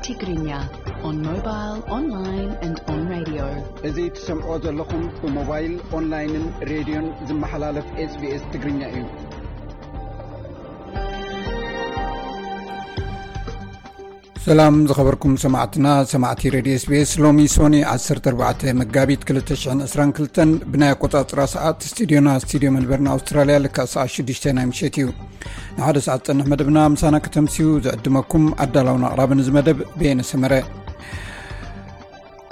Tigrinya, on mobile, online and on radio. እዚ ትሰምዖ ዘለኹም ብሞባይል፣ ኦንላይንን ሬድዮን ዝመሓላለፍ SBS ትግርኛ እዩ። ሰላም ዝኸበርኩም ሰማዕትና፣ ሰማዕቲ ሬድዮ SBS። ሎሚ ሶኒ ዓሰርተ ኣርባዕተ መጋቢት ክልተ ሽሕን ዕስራን ክልተን ብናይ ኣቆጻጽራ ሰዓት ስቱዲዮና፣ ስቱዲዮ መልበርን ኣውስትራልያ፣ ልክዕ ሰዓት ሽዱሽተ ናይ ምሸት እዩ። ንሓደ ሰዓት ዝጸንሕ መደብና ምሳና ከተምስዩ ዝዕድመኩም ኣዳላውን ኣቕራብን እዚ መደብ በየነ ሰመረ።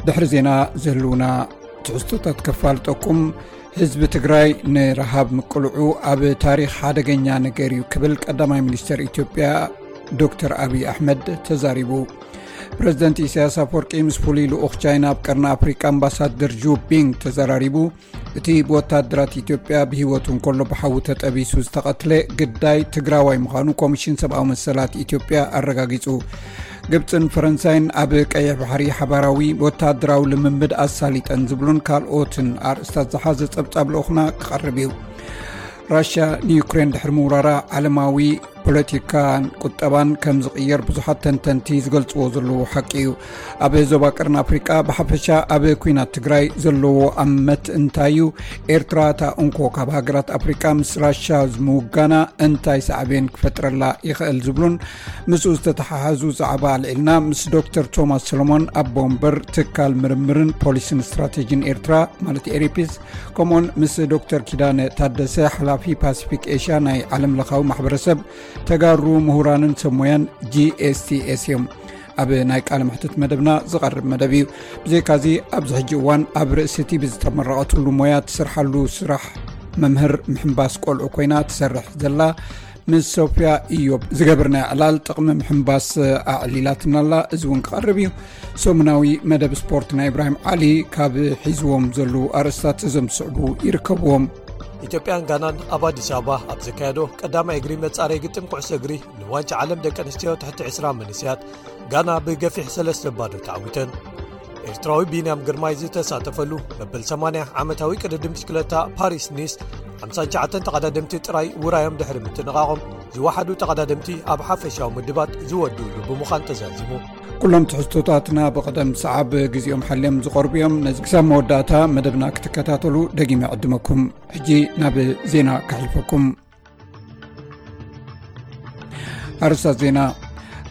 ድሕሪ ዜና ዝህልውና ትሕዝቶታት ከፋልጠኩም። ህዝቢ ትግራይ ንረሃብ ምቅልዑ ኣብ ታሪኽ ሓደገኛ ነገር እዩ ክብል ቀዳማይ ሚኒስተር ኢትዮጵያ ዶክተር ኣብይ ኣሕመድ ተዛሪቡ። ፕረዚደንት ኢሳያስ ኣፈወርቂ ምስ ፍሉይ ልኡኽ ቻይና ኣብ ቀርኒ ኣፍሪቃ ኣምባሳደር ጁ ቢንግ ተዘራሪቡ። እቲ ብወታደራት ኢትዮጵያ ብህይወቱ እንከሎ ብሓዊ ተጠቢሱ ዝተቐትለ ግዳይ ትግራዋይ ምዃኑ ኮሚሽን ሰብኣዊ መሰላት ኢትዮጵያ ኣረጋጊጹ። ግብጽን ፈረንሳይን ኣብ ቀይሕ ባሕሪ ሓባራዊ ወታደራዊ ልምምድ ኣሳሊጠን ዝብሉን ካልኦትን ኣርእስታት ዝሓዘ ጸብጻብ ልኡኽና ክቐርብ እዩ። ራሽያ ንዩክሬን ድሕሪ ምውራራ ዓለማዊ ፖለቲካን ቁጠባን ከም ዝቕየር ብዙሓት ተንተንቲ ዝገልጽዎ ዘለዉ ሓቂ እዩ። ኣብ ዞባ ቀርኒ ኣፍሪቃ ብሓፈሻ ኣብ ኲናት ትግራይ ዘለዎ ኣመት እንታይ እዩ? ኤርትራ እታ እንኮ ካብ ሃገራት ኣፍሪቃ ምስ ራሻ ምውጋና እንታይ ሳዕቤን ክፈጥረላ ይኽእል ዝብሉን ምስኡ ዝተተሓሓዙ ዛዕባ ኣልዒልና ምስ ዶክተር ቶማስ ሰሎሞን ኣቦ ወንበር ትካል ምርምርን ፖሊስን ስትራቴጂን ኤርትራ ማለት ኤሪፒስ፣ ከምኡውን ምስ ዶክተር ኪዳነ ታደሰ ሓላፊ ፓሲፊክ ኤሽያ ናይ ዓለም ለኻዊ ማሕበረሰብ ተጋሩ ምሁራንን ሰብ ሞያን ጂ ኤስ ቲ ኤስ እዮም። ኣብ ናይ ቃለ መሕትት መደብና ዝቐርብ መደብ እዩ። ብዘይካዚ ኣብዚ ሕጂ እዋን ኣብ ርእሲ እቲ ብዝተመረቐትሉ ሞያ ትሰርሓሉ ስራሕ መምህር ምሕንባስ ቆልዑ ኮይና ትሰርሕ ዘላ ምስ ሶፍያ ኢዮብ ዝገብርናዮ ዕላል ጥቕሚ ምሕንባስ ኣዕሊላትና ኣላ። እዚ እውን ክቐርብ እዩ። ሰሙናዊ መደብ ስፖርት ናይ ኢብራሂም ዓሊ ካብ ሒዝዎም ዘለዉ ኣርእስታት እዞም ዝስዕቡ ይርከብዎም። ኢትዮጵያን ጋናን ኣብ ኣዲስ ኣበባ ኣብ ዘካየዶ ቀዳማይ እግሪ መጻረይ ግጥም ኩዕሶ እግሪ ንዋንጫ ዓለም ደቂ ኣንስትዮ ትሕቲ ዕስራ መንእሰያት ጋና ብገፊሕ ሰለስተ ባዶ ተዓዊተን። ኤርትራዊ ቢንያም ግርማይ ዝተሳተፈሉ መበል ሰማንያ ዓመታዊ ቅድድም ብሽክለታ ፓሪስ ኒስ ሓምሳን ትሽዓተን ተቐዳደምቲ ጥራይ ውራዮም ድሕሪ ምትንቓቖም ዝወሓዱ ተቐዳደምቲ ኣብ ሓፈሻዊ ምድባት ዝወድኡሉ ብምዃን ተዛዚሙ። ኩሎም ትሕዝቶታትና ብቐደም ሰዓብ ግዜኦም ሓልዮም ዝቐርቡ እዮም። ነዚ ክሳብ መወዳእታ መደብና ክትከታተሉ ደጊመ ዕድመኩም። ሕጂ ናብ ዜና ከሕልፈኩም። ኣርእስታት ዜና።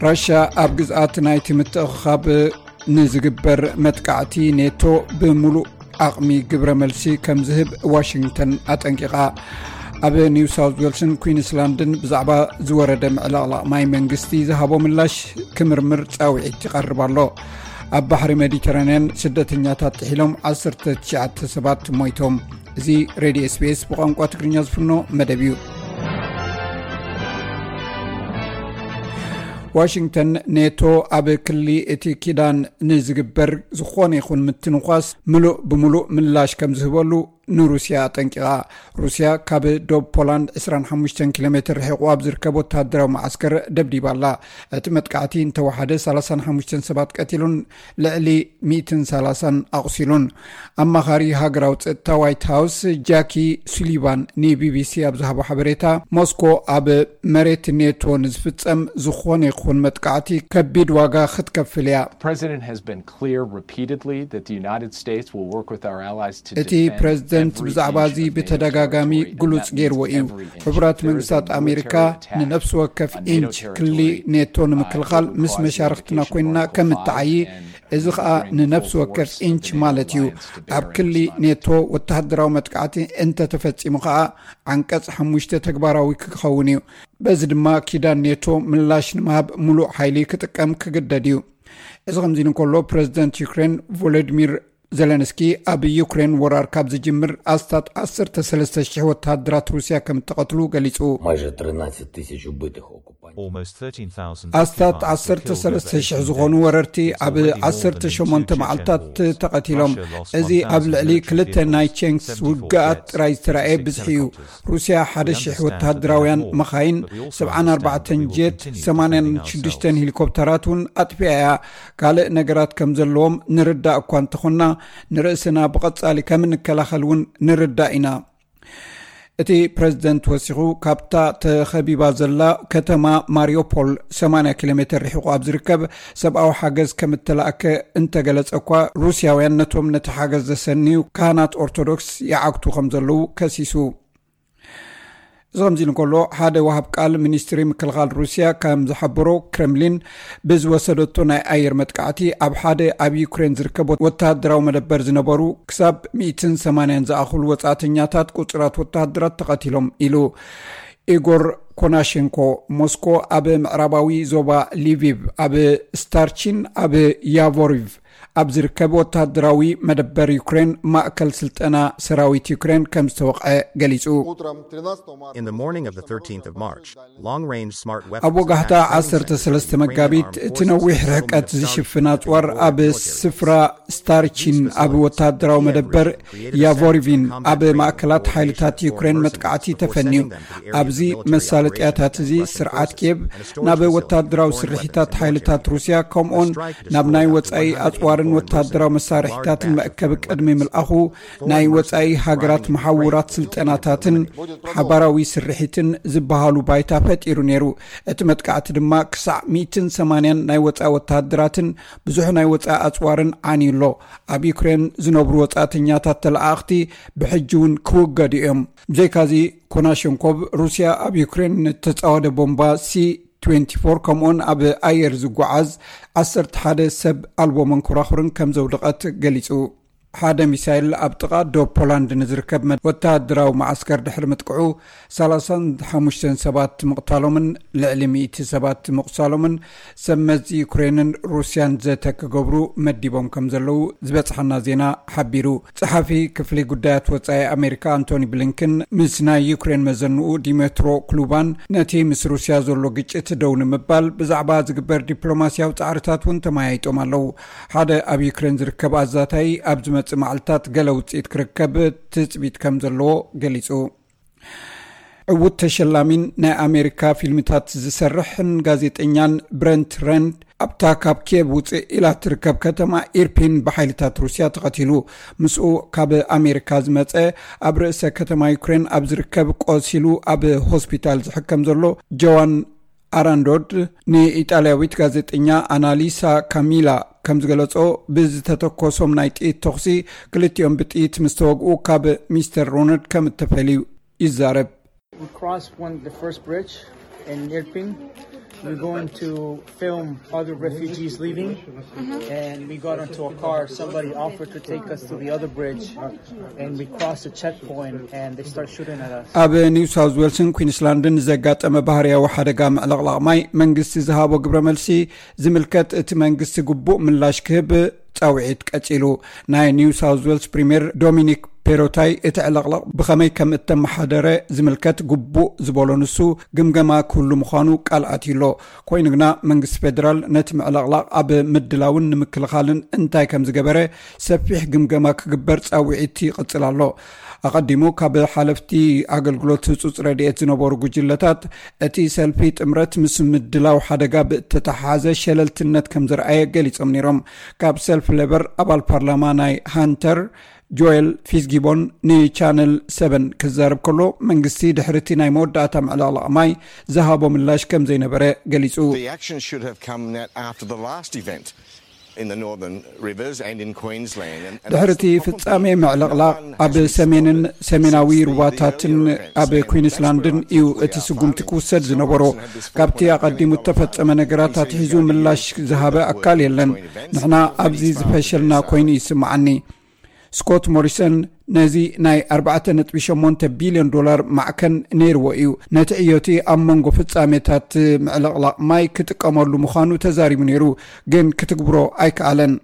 ራሽያ ኣብ ግዝኣት ናይቲ ምትእኽኻብ ንዝግበር መጥቃዕቲ ኔቶ ብምሉእ ዓቕሚ ግብረ መልሲ ከም ዝህብ ዋሽንግተን ኣጠንቂቓ። ኣብ ኒው ሳውት ዌልስን ኩዊንስላንድን ብዛዕባ ዝወረደ ምዕልቕላቕ ማይ መንግስቲ ዝሃቦ ምላሽ ክምርምር ጻውዒት ይቐርብ ኣሎ። ኣብ ባሕሪ ሜዲተራንያን ስደተኛታት ጥሒሎም ዓሰርተ ትሽዓተ ሰባት ሞይቶም። እዚ ሬድዮ ኤስ ቢ ኤስ ብቋንቋ ትግርኛ ዝፍኖ መደብ እዩ። ዋሽንግተን ኔቶ ኣብ ክሊ እቲ ኪዳን ንዝግበር ዝኾነ ይኹን ምትንኳስ ምሉእ ብምሉእ ምላሽ ከም ዝህበሉ ንሩስያ ኣጠንቂቓ። ሩስያ ካብ ዶብ ፖላንድ ዕስራን ሓሙሽተን ኪሎ ሜትር ርሒቑ ኣብ ዝርከብ ወተሃደራዊ መዓስከር ደብዲባ ኣላ። እቲ መጥቃዕቲ እንተወሓደ ሰላሳን ሓሙሽተን ሰባት ቀቲሉን ልዕሊ ሚእትን ሰላሳን ኣቑሲሉን። ኣማኻሪ ሃገራዊ ጸጥታ ዋይት ሃውስ ጃኪ ሱሊቫን ንቢቢሲ ኣብ ዝሃቦ ሓበሬታ፣ ሞስኮ ኣብ መሬት ኔቶ ንዝፍጸም ዝኾነ ይኹን መጥቃዕቲ ከቢድ ዋጋ ክትከፍል እያ። The president has been clear repeatedly that the United States will work with our allies to እቲ defend ፕረዚደንት every ብዛዕባ inch እዚ of NATO ብተደጋጋሚ territory, and ግሉጽ that ገይርዎ means እዩ። every inch. ሕቡራት መንግስታት ኣሜሪካ ንነፍሲ ወከፍ ኢንች ክሊ ኔቶ ንምክልኻል ምስ መሻርኽትና ኮይንና ከም እተዓዪ፣ እዚ ኸኣ ንነፍሲ ወከፍ ኢንች ማለት እዩ። ኣብ ክሊ ኔቶ ወተሃደራዊ መጥቃዕቲ እንተተፈጺሙ ኸኣ ዓንቀጽ ሓሙሽተ ተግባራዊ ክኸውን እዩ። በዚ ድማ ኪዳን ኔቶ ምላሽ ንምሃብ ምሉእ ሓይሊ ክጥቀም ክግደድ እዩ። እዚ ከምዚ ኢሉ እንከሎ፣ ፕረዚደንት ዩክሬን ቮሎዲሚር ዜለንስኪ ኣብ ዩክሬን ወራር ካብ ዝጅምር ኣስታት ዓሰርተ ሰለስተ ሽሕ ወተሃደራት ሩስያ ከም እተቐትሉ ገሊጹ። Майже тринадцять тисяч убитих окупантів. Almost thirteen thousand ኣስታት ዓሰርተ ሰለስተ ሽሕ ዝኾኑ ወረርቲ ኣብ ዓሰርተ ሸሞንተ መዓልታት ተቐቲሎም። እዚ ኣብ ልዕሊ ክልተ ናይ ቼንክስ ውግኣት ጥራይ ዝተራእየ ብዝሒ እዩ። ሩስያ ሓደ ሽሕ ወተሃደራውያን መኻይን፣ ሰብዓን ኣርባዕተን ጀት፣ ሰማንያን ሽዱሽተን ሄሊኮፕተራት እውን ኣጥፊኣ እያ። ካልእ ነገራት ከም ዘለዎም ንርዳእ እኳ እንተኾንና፣ ንርእስና ብቐጻሊ ከም እንከላኸል እውን ንርዳእ ኢና። እቲ ፕረዚደንት ወሲኹ፣ ካብታ ተኸቢባ ዘላ ከተማ ማሪዮፖል ሰማንያ ኪሎ ሜተር ርሒቑ ኣብ ዝርከብ ሰብኣዊ ሓገዝ ከም እተላእከ እንተገለጸ እኳ፣ ሩስያውያን ነቶም ነቲ ሓገዝ ዘሰንዩ ካህናት ኦርቶዶክስ ይዓግቱ ከም ዘለዉ ከሲሱ። እዚ ከምዚ ኢሉ እንከሎ፣ ሓደ ወሃብ ቃል ሚኒስትሪ ምክልኻል ሩስያ ከም ዝሓበሮ፣ ክሬምሊን ብዝወሰደቶ ናይ ኣየር መጥቃዕቲ ኣብ ሓደ ኣብ ዩክሬን ዝርከብ ወተሃደራዊ መደበር ዝነበሩ ክሳብ ሚእትን ሰማንያን ዝኣኽሉ ወጻእተኛታት ቁጽራት ወተሃደራት ተቐቲሎም ኢሉ። ኢጎር ኮናሼንኮ ሞስኮ ኣብ ምዕራባዊ ዞባ ሊቪቭ ኣብ ስታርቺን ኣብ ያቮሪቭ ኣብ ዝርከብ ወተሃደራዊ መደበር ዩክሬን ማእከል ስልጠና ሰራዊት ዩክሬን ከም ዝተወቕዐ ገሊጹ። In the morning of the thirteenth of March, long-range smart weapons ኣብ ወጋሕታ ዓሰርተ ሰለስተ መጋቢት እቲ ነዊሕ ርሕቀት ዝሽፍን ኣጽዋር ኣብ ስፍራ ስታርቺን ኣብ ወተሃደራዊ መደበር ያቮሪቪን ኣብ ማእከላት ሓይልታት ዩክሬን መጥቃዕቲ ተፈንዩ። ኣብዚ መሳለጥያታት እዚ ስርዓት ኪየቭ ናብ ወተሃደራዊ ስርሒታት ሓይልታት ሩስያ ከምኡን ናብ ናይ ወጻኢ ኣጽዋርን ወተሃደራዊ መሳርሒታትን መእከቢ ቅድሚ ምልኣኹ ናይ ወጻኢ ሃገራት መሓውራት ስልጠናታትን ሓባራዊ ስርሒትን ዝበሃሉ ባይታ ፈጢሩ ነይሩ። እቲ መጥቃዕቲ ድማ ክሳዕ ሚእትን ሰማንያን ናይ ወጻኢ ወተሃደራትን ብዙሕ ናይ ወጻኢ ኣጽዋርን ዓንዩ ኣሎ። ኣብ ዩክሬን ዝነብሩ ወጻእተኛታት ተለኣእኽቲ ብሕጂ እውን ክውገዱ እዮም። ብዘይካዚ፣ ኮናሸንኮቭ ሩስያ ኣብ ዩክሬን ንተጻወደ ቦምባ ሲ ትዌንቲ ፎር ከምኡውን ኣብ ኣየር ዝጓዓዝ ዓሰርተ ሓደ ሰብ ኣልቦ መንኮራኹርን ከም ዘውደቐት ገሊጹ። ሓደ ሚሳይል ኣብ ጥቓ ዶብ ፖላንድ ንዝርከብ መድ- ወተሃደራዊ መዓስከር ድሕሪ ምጥቅዑ፣ ሰላሳን ሓሙሽተን ሰባት ምቕታሎምን ልዕሊ ሚእቲ ሰባት ምቑሳሎምን ሰብ መዚ ዩክሬንን ሩስያን ዘተ ክገብሩ መዲቦም ከም ዘለዉ ዝበጽሓና ዜና ሓቢሩ። ጸሓፊ ክፍሊ ጉዳያት ወጻኢ ኣሜሪካ ኣንቶኒ ብሊንከን ምስ ናይ ዩክሬን መዘንኡ ዲሜትሮ ክሉባን ነቲ ምስ ሩስያ ዘሎ ግጭት ደው ንምባል ብዛዕባ ዝግበር ዲፕሎማስያዊ ጻዕርታት እውን ተመያይጦም ኣለዉ። ሓደ ኣብ ዩክሬን ዝርከብ ኣዛታይ ኣብ ዝመጽእ መዓልታት ገለ ውጽኢት ክርከብ ትጽቢት ከም ዘለዎ ገሊጹ። ዕዉት ተሸላሚን ናይ ኣሜሪካ ፊልምታት ዝሰርሕን ጋዜጠኛን ብረንት ረንድ ኣብታ ካብ ኪየቭ ውፅእ ኢላ ትርከብ ከተማ ኢርፒን ብሓይልታት ሩስያ ተቐቲሉ። ምስኡ ካብ ኣሜሪካ ዝመፀ ኣብ ርእሰ ከተማ ዩክሬን ኣብ ዝርከብ ቆሲሉ ኣብ ሆስፒታል ዝሕከም ዘሎ ጆዋን ኣራንዶድ ንኢጣልያዊት ጋዜጠኛ ኣናሊሳ ካሚላ ከም ዝገለጾ፣ ብዝተተኮሶም ናይ ጥይት ተኹሲ ክልቲኦም ብጥይት ምስ ተወግኡ ካብ ሚስተር ሮነድ ከም እተፈልዩ ይዛረብ። We crossed one the first bridge in Irpin. We're going to film other refugees leaving, and we got into a car. Somebody offered to take us to the other bridge, and we crossed a checkpoint, and they start shooting at us. ኣብ ኒው ሳውዝ ዌልስን ኩንስላንድን ዘጋጠመ ባህርያዊ ሓደጋ ምዕልቕላቕ ማይ መንግስቲ ዝሃቦ ግብረ መልሲ ዝምልከት እቲ መንግስቲ ግቡእ ምላሽ ክህብ ጻውዒት ቀጺሉ። ናይ ኒው ሳውዝ ዌልስ ፕሪምየር ዶሚኒክ ፔሮታይ እቲ ዕልቕልቕ ብኸመይ ከም እተመሓደረ ዝምልከት ግቡእ ዝበሎ ንሱ ግምገማ ክህሉ ምዃኑ ቃል ኣትዩ ኣሎ። ኮይኑ ግና መንግስቲ ፌደራል ነቲ ምዕልቕላቕ ኣብ ምድላውን ንምክልኻልን እንታይ ከም ዝገበረ ሰፊሕ ግምገማ ክግበር ጻውዒት ይቕጽል ኣሎ። ኣቐዲሙ ካብ ሓለፍቲ ኣገልግሎት ህጹጽ ረድኤት ዝነበሩ ጉጅለታት እቲ ሰልፊ ጥምረት ምስ ምድላው ሓደጋ ብእተተሓሓዘ ሸለልትነት ከም ዘርኣየ ገሊጾም ነይሮም። ካብ ሰልፊ ሌበር ኣባል ፓርላማ ናይ ሃንተር ጆኤል ፊዝጊቦን ንቻነል ሰቨን ክዛረብ ከሎ መንግስቲ ድሕሪ እቲ ናይ መወዳእታ ምዕልቕላቕ ማይ ዝሃቦ ምላሽ ከም ዘይነበረ ገሊጹ። The action should have come net after the last event in the Northern Rivers and in Queensland. And, and ድሕሪ እቲ ፍጻሜ ምዕልቕላቕ ኣብ ሰሜንን ሰሜናዊ ሩባታትን ኣብ ኩንስላንድን እዩ እቲ ስጉምቲ ክውሰድ ዝነበሮ። ካብቲ ኣቐዲሙ እተፈጸመ ነገራት ኣትሒዙ ምላሽ ዝሃበ ኣካል የለን። ንሕና ኣብዚ ዝፈሸልና ኮይኑ ይስምዓኒ። ስኮት ሞሪሰን ነዚ ናይ ኣርባዕተ ነጥቢ ሸሞንተ ቢልዮን ዶላር ማዕከን ነይርዎ እዩ። ነቲ ዕዮቲ ኣብ መንጎ ፍጻሜታት ምዕልቕላቕ ማይ ክጥቀመሉ ምዃኑ ተዛሪቡ ነይሩ፣ ግን ክትግብሮ ኣይከኣለን።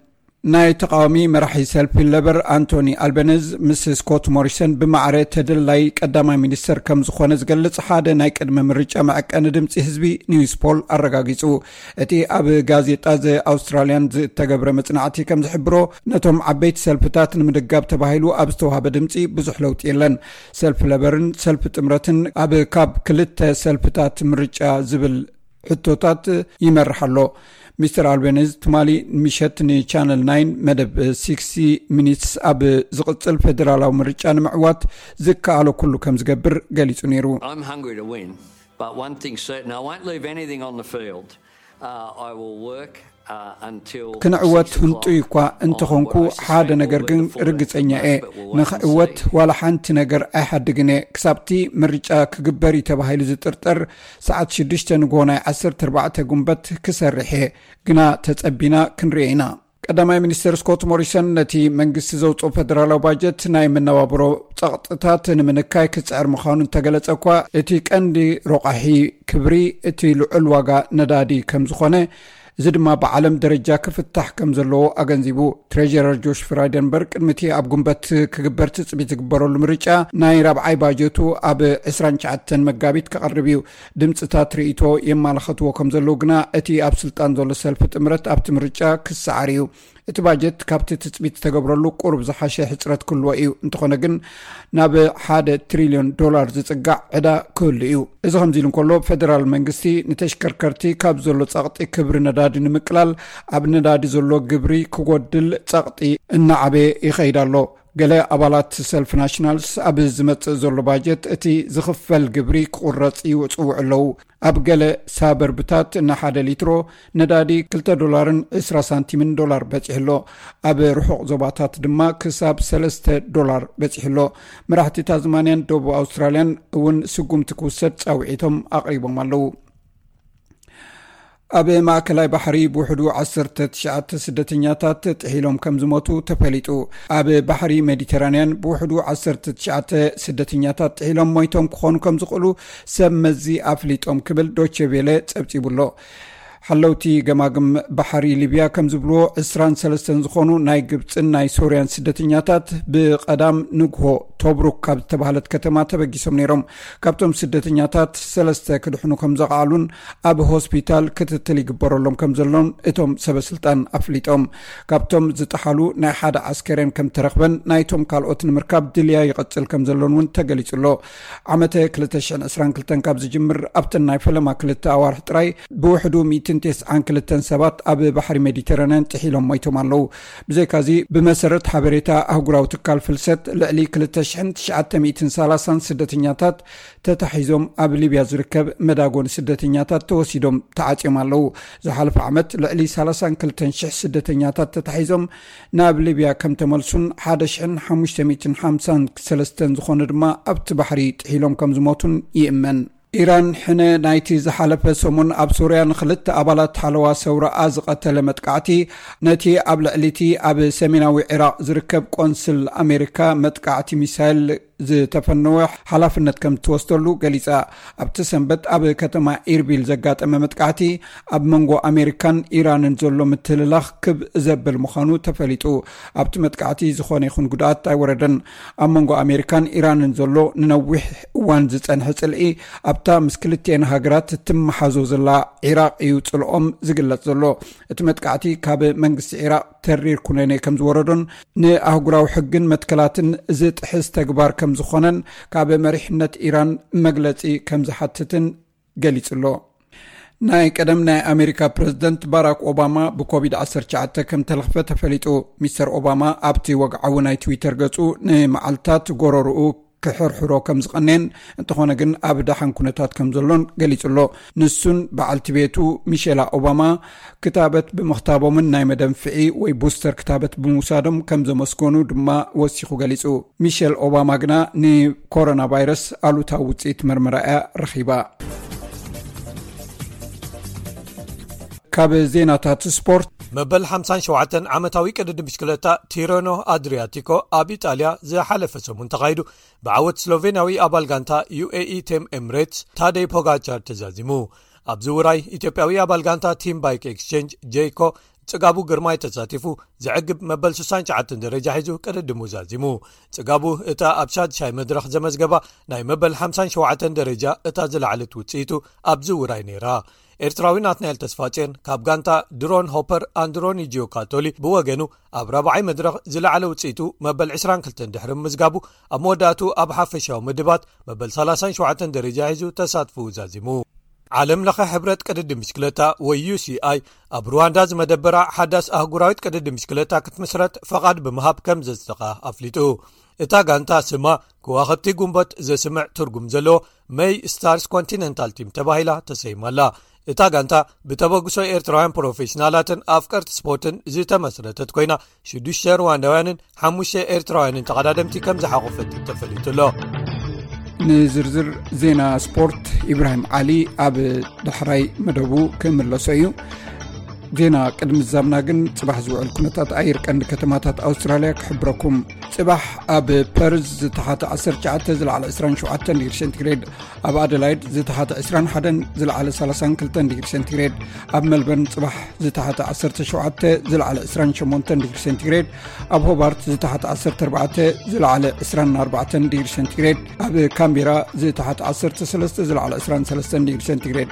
ናይ ተቃዋሚ መራሒ ሰልፊ ለበር ኣንቶኒ ኣልበነዝ ምስ ስኮት ሞሪሰን ብማዕረ ተደላይ ቀዳማይ ሚኒስተር ከም ዝኾነ ዝገልጽ ሓደ ናይ ቅድመ ምርጫ መዐቀኒ ድምጺ ህዝቢ ኒውስ ፖል ኣረጋጊጹ። እቲ ኣብ ጋዜጣ ዘ ኣውስትራሊያን ዝተገብረ መጽናዕቲ ከም ዝሕብሮ፣ ነቶም ዓበይቲ ሰልፍታት ንምድጋፍ ተባሂሉ ኣብ ዝተዋህበ ድምጺ ብዙሕ ለውጢ የለን። ሰልፊ ለበርን ሰልፊ ጥምረትን ኣብ ካብ ክልተ ሰልፍታት ምርጫ ዝብል ሕቶታት ይመርሕ ኣሎ። ሚስተር ኣልቤኒዝ ትማሊ ምሸት ንቻነል ናይን መደብ ሲክስቲ ሚኒትስ ኣብ ዝቕጽል ፌደራላዊ ምርጫ ንምዕዋት ዝከኣሎ ኩሉ ከም ዝገብር ገሊጹ ነይሩ። I'm hungry to win, but one thing's certain, I won't leave anything on the field. Uh, I will work uh, until ክንዕወት six o'clock ህንጡይ እኳ እንተኾንኩ፣ on what I suspect ሓደ will ነገር be ግን the full ርግጸኛ እየ። effort, but we'll wait and ንኽዕወት see. ዋላ ሓንቲ ነገር ኣይሓድግን እየ። ክሳብቲ ምርጫ ክግበር እዩ ተባሂሉ ዝጥርጠር ሰዓት ሽዱሽተ ንግሆ ናይ ዓሰርተ ኣርባዕተ ጉንበት ክሰርሕ እየ። ግና ተጸቢና ክንርኢ ኢና። ቀዳማይ ሚኒስትር ስኮት ሞሪሰን ነቲ መንግስቲ ዘውፅኦ ፌደራላዊ ባጀት ናይ መነባብሮ ጸቕጥታት ንምንካይ ክጽዕር ምዃኑ እንተገለጸ እኳ፣ እቲ ቀንዲ ሮቃሒ ክብሪ እቲ ልዑል ዋጋ ነዳዲ ከም ዝኾነ፣ እዚ ድማ ብዓለም ደረጃ ክፍታሕ ከም ዘለዎ ኣገንዚቡ። ትሬጀረር ጆሽ ፍራይደንበርግ ቅድሚ እቲ ኣብ ጉንበት ክግበር ትጽቢት ዝግበረሉ ምርጫ ናይ ራብዓይ ባጀቱ ኣብ ዕስራን ትሽዓተን መጋቢት ከቕርብ እዩ። ድምፅታት ርእይቶ የማላኸትዎ ከም ዘለዉ ግና፣ እቲ ኣብ ስልጣን ዘሎ ሰልፊ ጥምረት ኣብቲ ምርጫ ክሰዓር እዩ። እቲ ባጀት ካብቲ ትጽቢት ዝተገብረሉ ቁሩብ ዝሓሸ ሕጽረት ክህልዎ እዩ። እንተኾነ ግን፣ ናብ ሓደ ትሪልዮን ዶላር ዝጽጋዕ ዕዳ ክህሉ እዩ። እዚ ከምዚ ኢሉ እንከሎ፣ ፌደራል መንግስቲ ንተሽከርከርቲ ካብ ዘሎ ጸቕጢ ክብሪ ነዳዲ ንምቅላል፣ ኣብ ነዳዲ ዘሎ ግብሪ ክጎድል ጸቕጢ እናዓበየ ይኸይድ ኣሎ። ገለ ኣባላት ሰልፊ ናሽናልስ፣ ኣብ ዝመጽእ ዘሎ ባጀት እቲ ዝኽፈል ግብሪ ክቑረጽ ይጽውዑ ኣለዉ። ኣብ ገለ ሳበርብታት ንሓደ ሊትሮ ነዳዲ ክልተ ዶላርን ዕስራ ሳንቲምን ዶላር በጺሑ ኣሎ። ኣብ ርሑቕ ዞባታት ድማ ክሳብ ሰለስተ ዶላር በጺሑ ኣሎ። መራሕቲ ታዝማንያን ደቡብ ኣውስትራልያን እውን ስጉምቲ ክውሰድ ጻውዒቶም ኣቕሪቦም ኣለዉ። ኣብ ማእከላይ ባሕሪ ብውሕዱ ዓሰርተ ትሽዓተ ስደተኛታት ጥሒሎም ከም ዝሞቱ ተፈሊጡ። ኣብ ባሕሪ ሜዲተራንያን ብውሕዱ ዓሰርተ ትሽዓተ ስደተኛታት ጥሒሎም ሞይቶም ክኾኑ ከም ዝኽእሉ ሰብ መዚ ኣፍሊጦም ክብል ዶቼ ቬለ ጸብጺቡ ኣሎ። ሓለውቲ ገማግም ባሕሪ ሊብያ ከም ዝብልዎ፣ ዕስራን ሰለስተን ዝኾኑ ናይ ግብጽን ናይ ሶርያን ስደተኛታት ብቐዳም ንግሆ ቶብሩክ ካብ ዝተባህለት ከተማ ተበጊሶም ነይሮም። ካብቶም ስደተኛታት ሰለስተ ክድሕኑ ከም ዘኽኣሉን ኣብ ሆስፒታል ክትትል ይግበረሎም ከም ዘሎን እቶም ሰበስልጣን ኣፍሊጦም። ካብቶም ዝጠሓሉ ናይ ሓደ ዓስከሬን ከም ተረኽበን፣ ናይቶም ካልኦት ንምርካብ ድልያ ይቐጽል ከም ዘሎን እውን ተገሊጹ ኣሎ። ዓመተ ክልተ ሽሕን ዕስራን ክልተን ካብ ዝጅምር፣ ኣብተን ናይ ፈለማ ክልተ ኣዋርሕ ጥራይ ብውሕዱ ሚእትን ተስዓን ክልተን ሰባት ኣብ ባሕሪ ሜዲተራንያን ጥሒሎም ሞይቶም ኣለዉ። ብዘይካዚ፣ ብመሰረት ሓበሬታ ኣህጉራዊ ትካል ፍልሰት፣ ልዕሊ ክልተ ሽሕን ትሽዓተ ሚእትን ሰላሳን ስደተኛታት ተታሒዞም ኣብ ሊብያ ዝርከብ መዳጎኒ ስደተኛታት ተወሲዶም ተዓጽዮም ኣለዉ። ዝሓለፈ ዓመት ልዕሊ ሰላሳን ክልተን ሽሕ ስደተኛታት ተታሒዞም ናብ ሊብያ ከም ተመልሱን ሓደ ሽሕን ሓሙሽተ ሚእትን ሓምሳን ሰለስተን ዝኾኑ ድማ ኣብቲ ባሕሪ ጥሒሎም ከም ዝሞቱን ይእመን። ኢራን ሕነ ናይቲ ዝሓለፈ ሰሙን ኣብ ሶርያ ንኽልተ ኣባላት ሓለዋ ሰውራኣ ዝቐተለ መጥቃዕቲ፣ ነቲ ኣብ ልዕሊቲ ኣብ ሰሜናዊ ዒራቕ ዝርከብ ቆንስል ኣሜሪካ መጥቃዕቲ ሚሳይል ዝተፈነወ ሓላፍነት ከም ትወስደሉ ገሊጻ። ኣብቲ ሰንበት ኣብ ከተማ ኢርቢል ዘጋጠመ መጥቃዕቲ፣ ኣብ መንጎ ኣሜሪካን ኢራንን ዘሎ ምትልላኽ ክብ ዘብል ምዃኑ ተፈሊጡ። ኣብቲ መጥቃዕቲ ዝኾነ ይኹን ጉድኣት ኣይወረደን። ኣብ መንጎ ኣሜሪካን ኢራንን ዘሎ ንነዊሕ እዋን ዝጸንሐ ጽልኢ፣ ኣብታ ምስ ክልቲኤን ሃገራት ትመሓዞ ዘላ ዒራቕ እዩ ጽልኦም ዝግለጽ ዘሎ። እቲ መጥቃዕቲ ካብ መንግስቲ ዒራቕ ተሪር ኩነኔ ከም ዝወረዶን ንኣህጉራዊ ሕግን መትከላትን ዝጥሕስ ተግባር ከም ዝኾነን ካብ መሪሕነት ኢራን መግለጺ ከም ዝሓትትን ገሊጹ ኣሎ። ናይ ቀደም ናይ ኣሜሪካ ፕረዚደንት ባራክ ኦባማ ብኮቪድ ዓሰርተ ትሽዓተ ከም ተለኽፈ ተፈሊጡ። ሚስተር ኦባማ ኣብቲ ወግዓዊ ናይ ትዊተር ገጹ፣ ንመዓልታት ጎረርኡ ክሕርሕሮ ከም ዝቐነየን፣ እንተኾነ ግን ኣብ ደሓን ኩነታት ከም ዘሎን ገሊጹ ኣሎ። ንሱን በዓልቲ ቤቱ ሚሼላ ኦባማ ክታበት ብምኽታቦምን ናይ መደንፍዒ ወይ ቡስተር ክታበት ብምውሳዶም ከም ዘመስገኑ ድማ ወሲኹ ገሊጹ። ሚሼል ኦባማ ግና ንኮሮና ቫይረስ ኣሉታዊ ውጽኢት መርመራ እያ ረኺባ። ካብ ዜናታት ስፖርት። መበል ሓምሳን ሸውዓተን ዓመታዊ ቅድድም ብሽክለታ ቲረኖ ኣድሪያቲኮ ኣብ ኢጣልያ ዝሓለፈ ሰሙን ተኻይዱ፣ ብዓወት ስሎቬንያዊ ኣባል ጋንታ ዩ ኤ ኢ ቲም ኤምሬትስ ታደይ ፖጋቻር ተዛዚሙ። ኣብዚ ውራይ፣ ኢትዮጵያዊ ኣባል ጋንታ ቲም ባይክ ኤክስቼንጅ ጄይኮ ጽጋቡ ግርማይ ተሳቲፉ፣ ዘዕግብ መበል ስሳን ትሽዓተን ደረጃ ሒዙ ቅድድሙ ዛዚሙ። ጽጋቡ እታ ኣብ ሻድሻይ መድረኽ ዘመዝገባ ናይ መበል ሓምሳን ሸውዓተን ደረጃ እታ ዝለዓለት ውጽኢቱ ኣብዚ ውራይ ነይራ። ኤርትራዊ ናትናኤል ተስፋጽዮን ካብ ጋንታ ድሮን ሆፐር ኣንድሮኒ ጂዮካቶሊ ብወገኑ፣ ኣብ ራብዓይ መድረኽ ዝለዓለ ውጽኢቱ መበል ዕስራን ክልተን ድሕሪ ምዝጋቡ፣ ኣብ መወዳእቱ ኣብ ሓፈሻዊ ምድባት መበል ሰላሳን ሸውዓተን ደረጃ ሒዙ ተሳትፎኡ ዛዚሙ። ዓለም ለኸ ሕብረት ቅድድም ብሽክለታ ወይ ዩ ሲ ኣይ ኣብ ሩዋንዳ ዝመደበራ ሓዳስ ኣህጉራዊት ቅድድም ብሽክለታ ክትምስረት ፈቓድ ብምሃብ ከም ዘጽደቓ ኣፍሊጡ። እታ ጋንታ ስማ ከዋኽብቲ ጉንበት ዘስምዕ ትርጉም ዘለዎ መይ ስታርስ ኮንቲነንታል ቲም ተባሂላ ተሰይማ ኣላ። እታ ጋንታ ብተበግሶ ኤርትራውያን ፕሮፌሽናላትን ኣፍቀርቲ ስፖርትን ዝተመስረተት ኮይና ሽዱሽተ ሩዋንዳውያንን ሓሙሽተ ኤርትራውያንን ተቐዳደምቲ ከም ዝሓቖፈት ተፈሊጡ ኣሎ። ንዝርዝር ዜና ስፖርት ኢብራሂም ዓሊ ኣብ ዳሕራይ መደቡ ክምለሶ እዩ። ዜና ቅድሚ ዛምና ግን ጽባሕ ዝውዕል ኩነታት ኣየር ቀንዲ ከተማታት ኣውስትራልያ ክሕብረኩም። ጽባሕ ኣብ ፐርዝ ዝተሓተ ዓሰርተ ትሽዓተ ዝለዓለ ዕስራን ሸውዓተን ዲግሪ ሴንቲግሬድ፣ ኣብ ኣደላይድ ዝተሓተ ዕስራን ሓደን ዝለዓለ ሰላሳን ክልተን ዲግሪ ሴንቲግሬድ፣ ኣብ ሜልበርን ጽባሕ ዝተሓተ ዓሰርተ ሸውዓተ ዝለዓለ ዕስራን ሸሞንተን ዲግሪ ሴንቲግሬድ፣ ኣብ ሆባርት ዝተሓተ ዓሰርተ ኣርባዕተ ዝለዓለ ዕስራን ኣርባዕተን ዲግሪ ሴንቲግሬድ፣ ኣብ ካምቤራ ዝተሓተ ዓሰርተ ሰለስተ ዝለዓለ ዕስራን ሰለስተን ዲግሪ ሴንቲግሬድ፣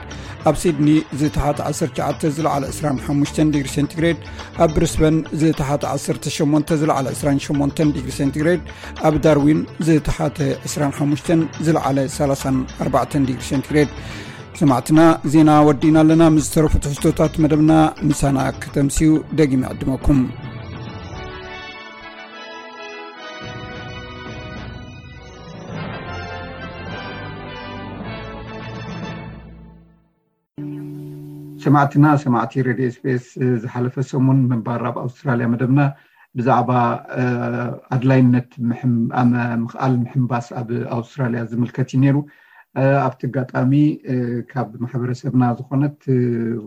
ኣብ ሲድኒ ዝተሓተ ዓሰርተ ትሽዓተ ዝለዓለ ዕስራን ሓሙሽተን ዲግሪ ሴንቲግሬድ፣ ኣብ ብሪስበን ዝተሓተ ዓሰርተ ሸሞንተ ዝለዓለ ዕስራን ሸሞንተን ዲግሪ ሴንቲግሬድ፣ ኣብ ዳርዊን ዝተሓተ ዕስራን ሓሙሽተን ዝለዓለ ሰላሳን ኣርባዕተን ዲግሪ ሴንቲግሬድ። ሰማዕትና፣ ዜና ወዲእና ኣለና። ምስ ዝተረፉ ትሕዝቶታት መደብና ምሳና ከተምስዩ ደጊመ ዕድመኩም። ሰማዕትና፣ ሰማዕቲ ሬድዮ ኤስቢኤስ፣ ዝሓለፈ ሰሙን ምንባር ኣብ ኣውስትራልያ መደብና ብዛዕባ ኣድላይነት ምኽኣል ምሕንባስ ኣብ ኣውስትራልያ ዝምልከት እዩ ነይሩ። ኣብቲ ኣጋጣሚ ካብ ማሕበረሰብና ዝኾነት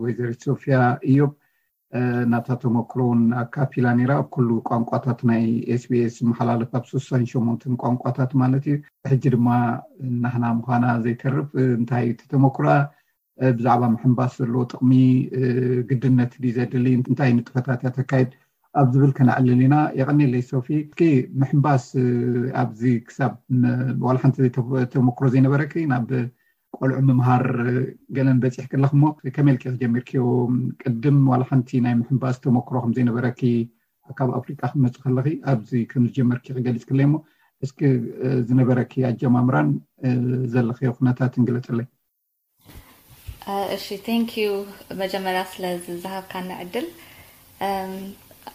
ወይዘሪት ሶፊያ እዮብ ናታ ተመክሮ እውን ኣካፊላ ነይራ። ኣብ ኩሉ ቋንቋታት ናይ ኤስቢኤስ ዝመሓላለፍ፣ ኣብ ስሳን ሸሞንተን ቋንቋታት ማለት እዩ። ሕጂ ድማ ናህና ምዃና ዘይተርፍ እንታይ እቲ ተመክሮኣ ብዛዕባ ምሕንባስ ዘለዎ ጥቕሚ፣ ግድነት ድዩ ዘድሊ፣ እንታይ ንጥፈታት እያ ተካይድ ኣብ ዝብል ከነዕልል ኢና። የቐኔለይ ሶፊ። እስኪ ምሕንባስ ኣብዚ ክሳብ ዋላ ሓንቲ ተመክሮ ዘይነበረኪ ናብ ቆልዑ ምምሃር ገለን በፂሕኪ ኣለኽሞ፣ ከመይ ኢልኪ ጀሚርክዮ? ቅድም ዋላ ሓንቲ ናይ ምሕንባስ ተመክሮ ከም ዘይነበረኪ፣ ካብ ኣፍሪቃ ክመፂ ከለኺ ኣብዚ ከም ዝጀመርኪ ክገልፅክለይ እሞ፣ እስኪ ዝነበረኪ ኣጀማምራን ዘለኽዮ ኩነታትን ግለፅለይ። እሺ፣ ቴንክ ዩ መጀመርያ ስለ ዝሃብካኒ ዕድል።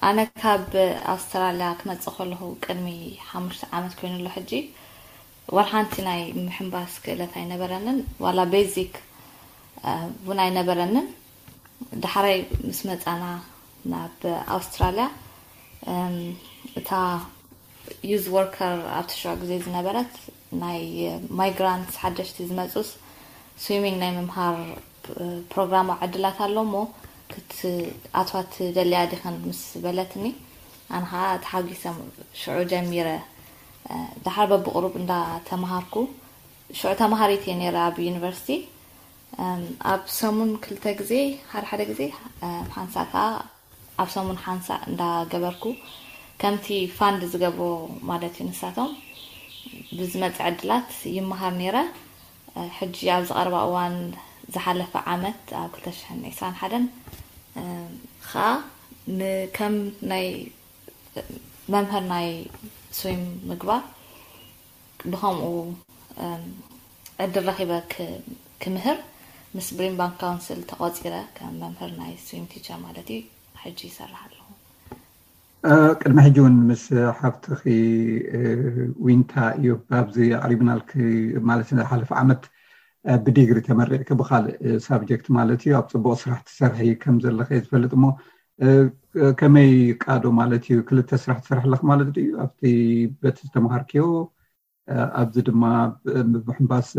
ኣነ ካብ ኣውስትራልያ ክመፅእ ከለኹ ቅድሚ ሓሙሽተ ዓመት ኮይኑ ኣሎ። ሕጂ ዋላ ሓንቲ ናይ ምሕንባስ ክእለት ኣይነበረንን፣ ዋላ ቤዚክ እውን ኣይነበረንን። ዳሕራይ ምስ መፃና ናብ ኣውስትራልያ፣ እታ ዩዝ ወርከር ኣብቲ ሽዑ ግዜ ዝነበረት ናይ ማይግራንትስ ሓደሽቲ ዝመፁስ ስዊሚንግ ናይ ምምሃር ፕሮግራም ዕድላት ኣሎ እሞ ክትኣትዋ ትደልያ ዲኽን ምስ በለትኒ፣ ኣነ ከዓ ተሓጒሰ ሽዑ ጀሚረ። ዳሓር በብቕሩብ እንዳተምሃርኩ፣ ሽዑ ተምሃሪት እየ ነይረ ኣብ ዩኒቨርሲቲ። ኣብ ሰሙን ክልተ ግዜ፣ ሓደ ሓደ ግዜ ሓንሳእ ከዓ ኣብ ሰሙን ሓንሳእ እንዳገበርኩ ከምቲ ፋንድ ዝገብሮ ማለት እዩ። ንሳቶም ብዝመፅእ ዕድላት ይመሃር ነይረ። ሕጂ ኣብዚ ቀረባ እዋን ዝሓለፈ ዓመት ኣብ ክልተ ሽሕን ዕስራን ሓደን ከዓ ንከም ናይ መምህር ናይ ስዊም ምግባር ብኸምኡ ዕድል ረኺበ ክምህር ምስ ብሪምባን ካውንስል ተቖፂረ ከም መምህር ናይ ስዊም ቲቸር ማለት እዩ። ሕጂ ይሰርሕ ኣለኹ። ቅድሚ ሕጂ እውን ምስ ሓፍትኺ ዊንታ እዩ ኣብዚ ኣቕሪብናልኪ ማለት ዝሓለፈ ዓመት ብዲግሪ ተመሪቕኪ ብካልእ ሳብጀክት ማለት እዩ ኣብ ፅቡቕ ስራሕ ትሰርሒ ከም ዘለኺ ዝፈልጥ እሞ ከመይ ቃዶ ማለት እዩ ክልተ ስራሕ ትሰርሒ ኣለኺ ማለት ድዩ ኣብቲ በቲ ዝተምሃርክዮ ኣብዚ ድማ ብምሕንባስ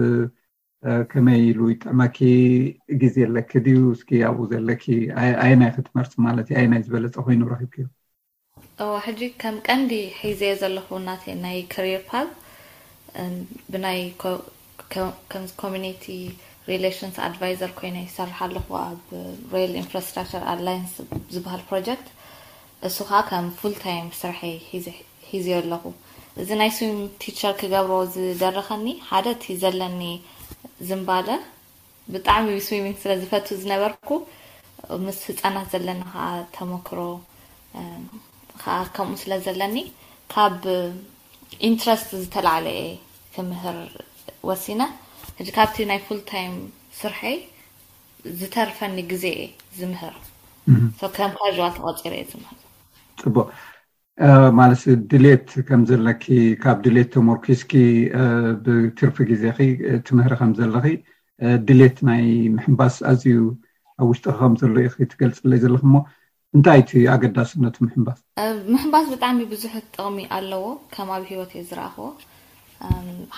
ከመይ ኢሉ ይጥዕመኪ ግዜ ኣለኪ ድዩ እስኪ ኣብኡ ዘለኪ ኣየናይ ክትመርፂ ማለት እዩ ኣየናይ ዝበለፀ ኮይኑ ረኺብክዮ እዎ ሕጂ ከም ቀንዲ ሒዘዮ ዘለኹ ናተይ ናይ career path ብናይ ከም community relations advisor ኮይነ ይሰርሕ ኣለኹ ኣብ Rail Infrastructure Alliance ዝበሃል project እሱ ከዓ ከም full time ስርሐይ ሒዘዮ ኣለኹ እዚ ናይ swim teacher ክገብሮ ዝደረኸኒ ሓደ እቲ ዘለኒ ዝንባለ ብጣዕሚ swimming ስለ ዝፈቱ ዝነበርኩ ምስ ህፃናት ዘለና ከዓ ተመክሮ ከዓ ከምኡ ስለ ዘለኒ ካብ interest ዝተላዕለ እየ ክምህር ወሲነ ሕጂ ካብቲ ናይ full time ስርሐይ ዝተርፈኒ ግዜ እየ ዝምህር። ከም ካዋል ተቆፂረ እየ ዝምህር። ፅቡቅ። ማለት ድሌት ከም ዘለኪ፣ ካብ ድሌት ተመርኪስኪ ብትርፊ ግዜኺ ትምህሪ ከም ዘለኺ፣ ድሌት ናይ ምሕንባስ ኣዝዩ ኣብ ውሽጥኺ ከም ዘሎ ኢኺ ትገልፅለይ ዘለኺ። እሞ እንታይ እቲ ኣገዳስነቱ ምሕንባስ? ምሕንባስ ብጣዕሚ ብዙሕ ጥቕሚ ኣለዎ። ከም ኣብ ሂወት እየ ዝረኣኽዎ።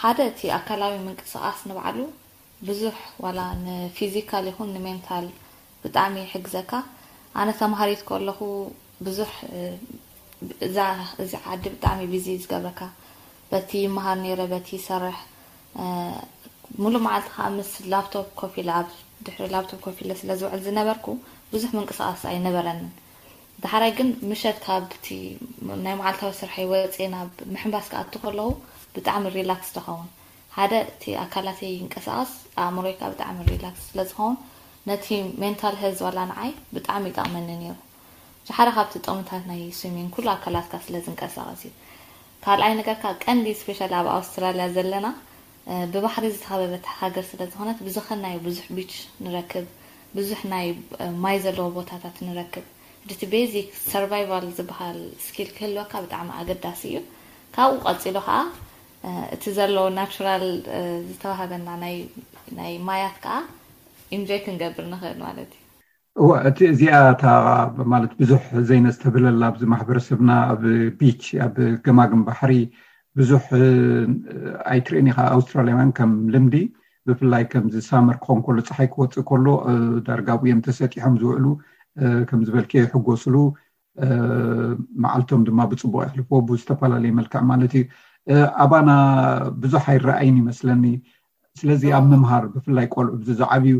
ሓደ እቲ ኣካላዊ ምንቅስቃስ ንባዕሉ ብዙሕ፣ ዋላ ንፊዚካል ይኹን ንሜንታል ብጣዕሚ ይሕግዘካ። ኣነ ተምሃሪት ከለኹ ብዙሕ እዚ ዓዲ ብጣዕሚ ቢዚ ዝገብረካ፣ በቲ ይመሃር ነይረ፣ በቲ ይሰርሕ፣ ሙሉእ መዓልቲ ከዓ ምስ ላፕቶፕ ኮፍ ኢለ ኣብ ድሕሪ ላፕቶፕ ኮፍ ኢለ ስለ ዝውዕል ዝነበርኩ ብዙሕ ምንቅስቃስ ኣይነበረንን። ዳሕራይ ግን ምሸት ካብቲ ናይ መዓልታዊ ስርሐይ ወፅየ ናብ ምሕንባስ ክኣቱ ከለኹ ብጣዕሚ ሪላክስ ተኸውን። ሓደ እቲ ኣካላተይ ይንቀሳቀስ፣ ኣእምሮይ ከዓ ብጣዕሚ ሪላክስ ስለዝኸውን ነቲ ሜንታል ሄልዝ ዋላ ንዓይ ብጣዕሚ ይጠቕመኒ ነይሩ። ሓደ ካብቲ ጥቕምታት ናይ ስዊሚንግ ኩሉ ኣካላትካ ስለ ዝንቀሳቀስ እዩ። ካልኣይ ነገር ከዓ ቀንዲ ስፔሻሊ ኣብ ኣውስትራልያ ዘለና ብባሕሪ ዝተኸበበት ሃገር ስለ ዝኾነት ብዝኸናዮ ብዙሕ ቢች ንረክብ፣ ብዙሕ ናይ ማይ ዘለዎ ቦታታት ንረክብ። እቲ ቤዚክ ሰርቫይቫል ዝበሃል ስኪል ክህልወካ ብጣዕሚ ኣገዳሲ እዩ። ካብኡ ቀፂሉ ከዓ እቲ ዘሎ ናቹራል ዝተዋሃበና ናይ ማያት ከዓ ኢንጆይ ክንገብር ንኽእል ማለት እዩ። እወ፣ እቲ እዚኣ እታ ማለት ብዙሕ ዘይነስተብህለላ ኣብዚ ማሕበረሰብና ኣብ ቢች ኣብ ገማግም ባሕሪ ብዙሕ ኣይትርእን ኢኻ። ኣውስትራልያውያን ከም ልምዲ ብፍላይ ከምዚ ሳመር ክኾን ከሎ ፀሓይ ክወፅእ ከሎ ዳርጋ ኣብኡ እዮም ተሰጢሖም ዝውዕሉ። ከም ዝበልክዮ ይሕጎስሉ፣ መዓልቶም ድማ ብፅቡቅ የሕልፍዎ ብዝተፈላለየ መልክዕ ማለት እዩ። ኣባና ብዙሕ ኣይረኣይን ይመስለኒ። ስለዚ ኣብ ምምሃር ብፍላይ ቆልዑ ብዚ ዝዓብዩ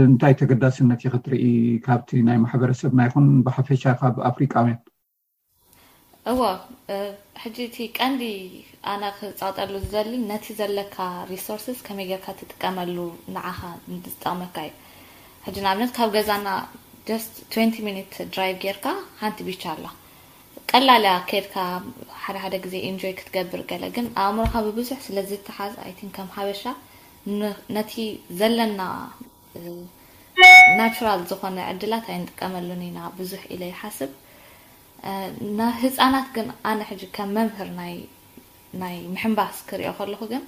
እንታይ ተገዳስነት እዩ ክትርኢ ካብቲ ናይ ማሕበረሰብና ይኹን ብሓፈሻ ካብ ኣፍሪቃውያን? እወ፣ ሕጂ እቲ ቀንዲ ኣነ ክፃወጠሉ ዝደሊ ነቲ ዘለካ ሪሶርስስ ከመይ ጌርካ ትጥቀመሉ ንዓኻ ዝጠቕመካ እዩ። ሕጂ ንኣብነት ካብ ገዛና just twenty ሚኒት ድራይቭ ጌርካ ሓንቲ ቢች ኣላ። ቀላል እያ ከድካ ሓደ ሓደ ግዜ ኢንጆይ ክትገብር ገለ፣ ግን ኣእምሮኻ ብብዙሕ ስለ ዝተሓዝ ኣይቲን ከም ሓበሻ ነቲ ዘለና ናቹራል ዝኾነ ዕድላት ኣይንጥቀመሉን ኢና ብዙሕ ኢለ ይሓስብ። ንህፃናት ግን ኣነ ሕጂ ከም መምህር ናይ ናይ ምሕንባስ ክሪኦ ከለኹ ግን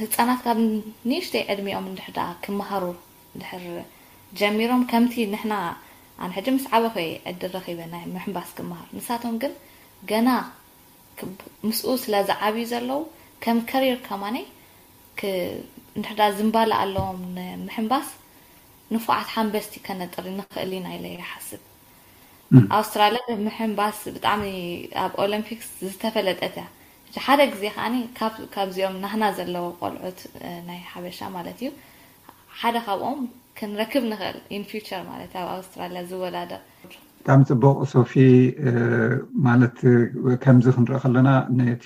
ህፃናት ካብ ንእሽተይ ዕድሚኦም እንድሕር ደኣ ክመሃሩ እንድሕር ጀሚሮም ከምቲ ንሕና ኣነ ሕጂ ምስ ዓበኹ እየ ዕድል ረኺበ ናይ ምሕንባስ ክመሃር። ንሳቶም ግን ገና ምስኡ ስለ ዝዓብዩ ዘለዉ ከም ከሪር ከማነይ እንድሕር ደኣ ዝምባለ ኣለዎም ንምሕንባስ ንፉዓት ሓንበስቲ ከነጥሪ ንኽእል ኢና ኢለ ይሓስብ። ኣውስትራልያ ብምሕንባስ ብጣዕሚ ኣብ ኦሎምፒክስ ዝተፈለጠት እያ። ሓደ ግዜ ከዓኒ ካብዚኦም ናህና ዘለዉ ቆልዑት ናይ ሓበሻ ማለት እዩ ሓደ ካብኦም ክንረክብ ንኽእል in future ማለት ኣብ ኣውስትራልያ ዝወዳደር። ብጣዕሚ ፅቡቅ ሶፊ። ማለት ከምዚ ክንርኢ ከለና ነቲ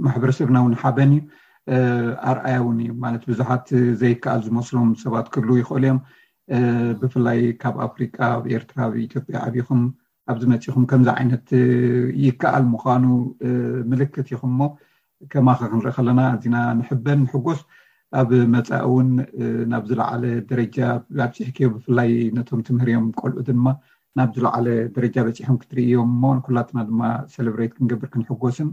ማሕበረሰብና እውን ሓበን እዩ፣ ኣርኣያ እውን እዩ። ማለት ብዙሓት ዘይከኣል ዝመስሎም ሰባት ክህልዉ ይኽእሉ እዮም። ብፍላይ ካብ ኣፍሪቃ፣ ኣብ ኤርትራ፣ ኣብ ኢትዮጵያ ዓቢኹም ኣብዚ መፂኹም ከምዚ ዓይነት ይከኣል ምዃኑ ምልክት ኢኹም። እሞ ከማኸ ክንርኢ ከለና ኣዚና ንሕበን ንሕጎስ። ኣብ መፃኢ እውን ናብ ዝለዓለ ደረጃ ኣብፂሕክዮ፣ ብፍላይ ነቶም ትምህርዮም ቆልዑ ድማ ናብ ዝለዓለ ደረጃ በፂሖም ክትርእዮም እሞ ንኩላትና ድማ ሰለብሬት ክንገብር ክንሕጎስን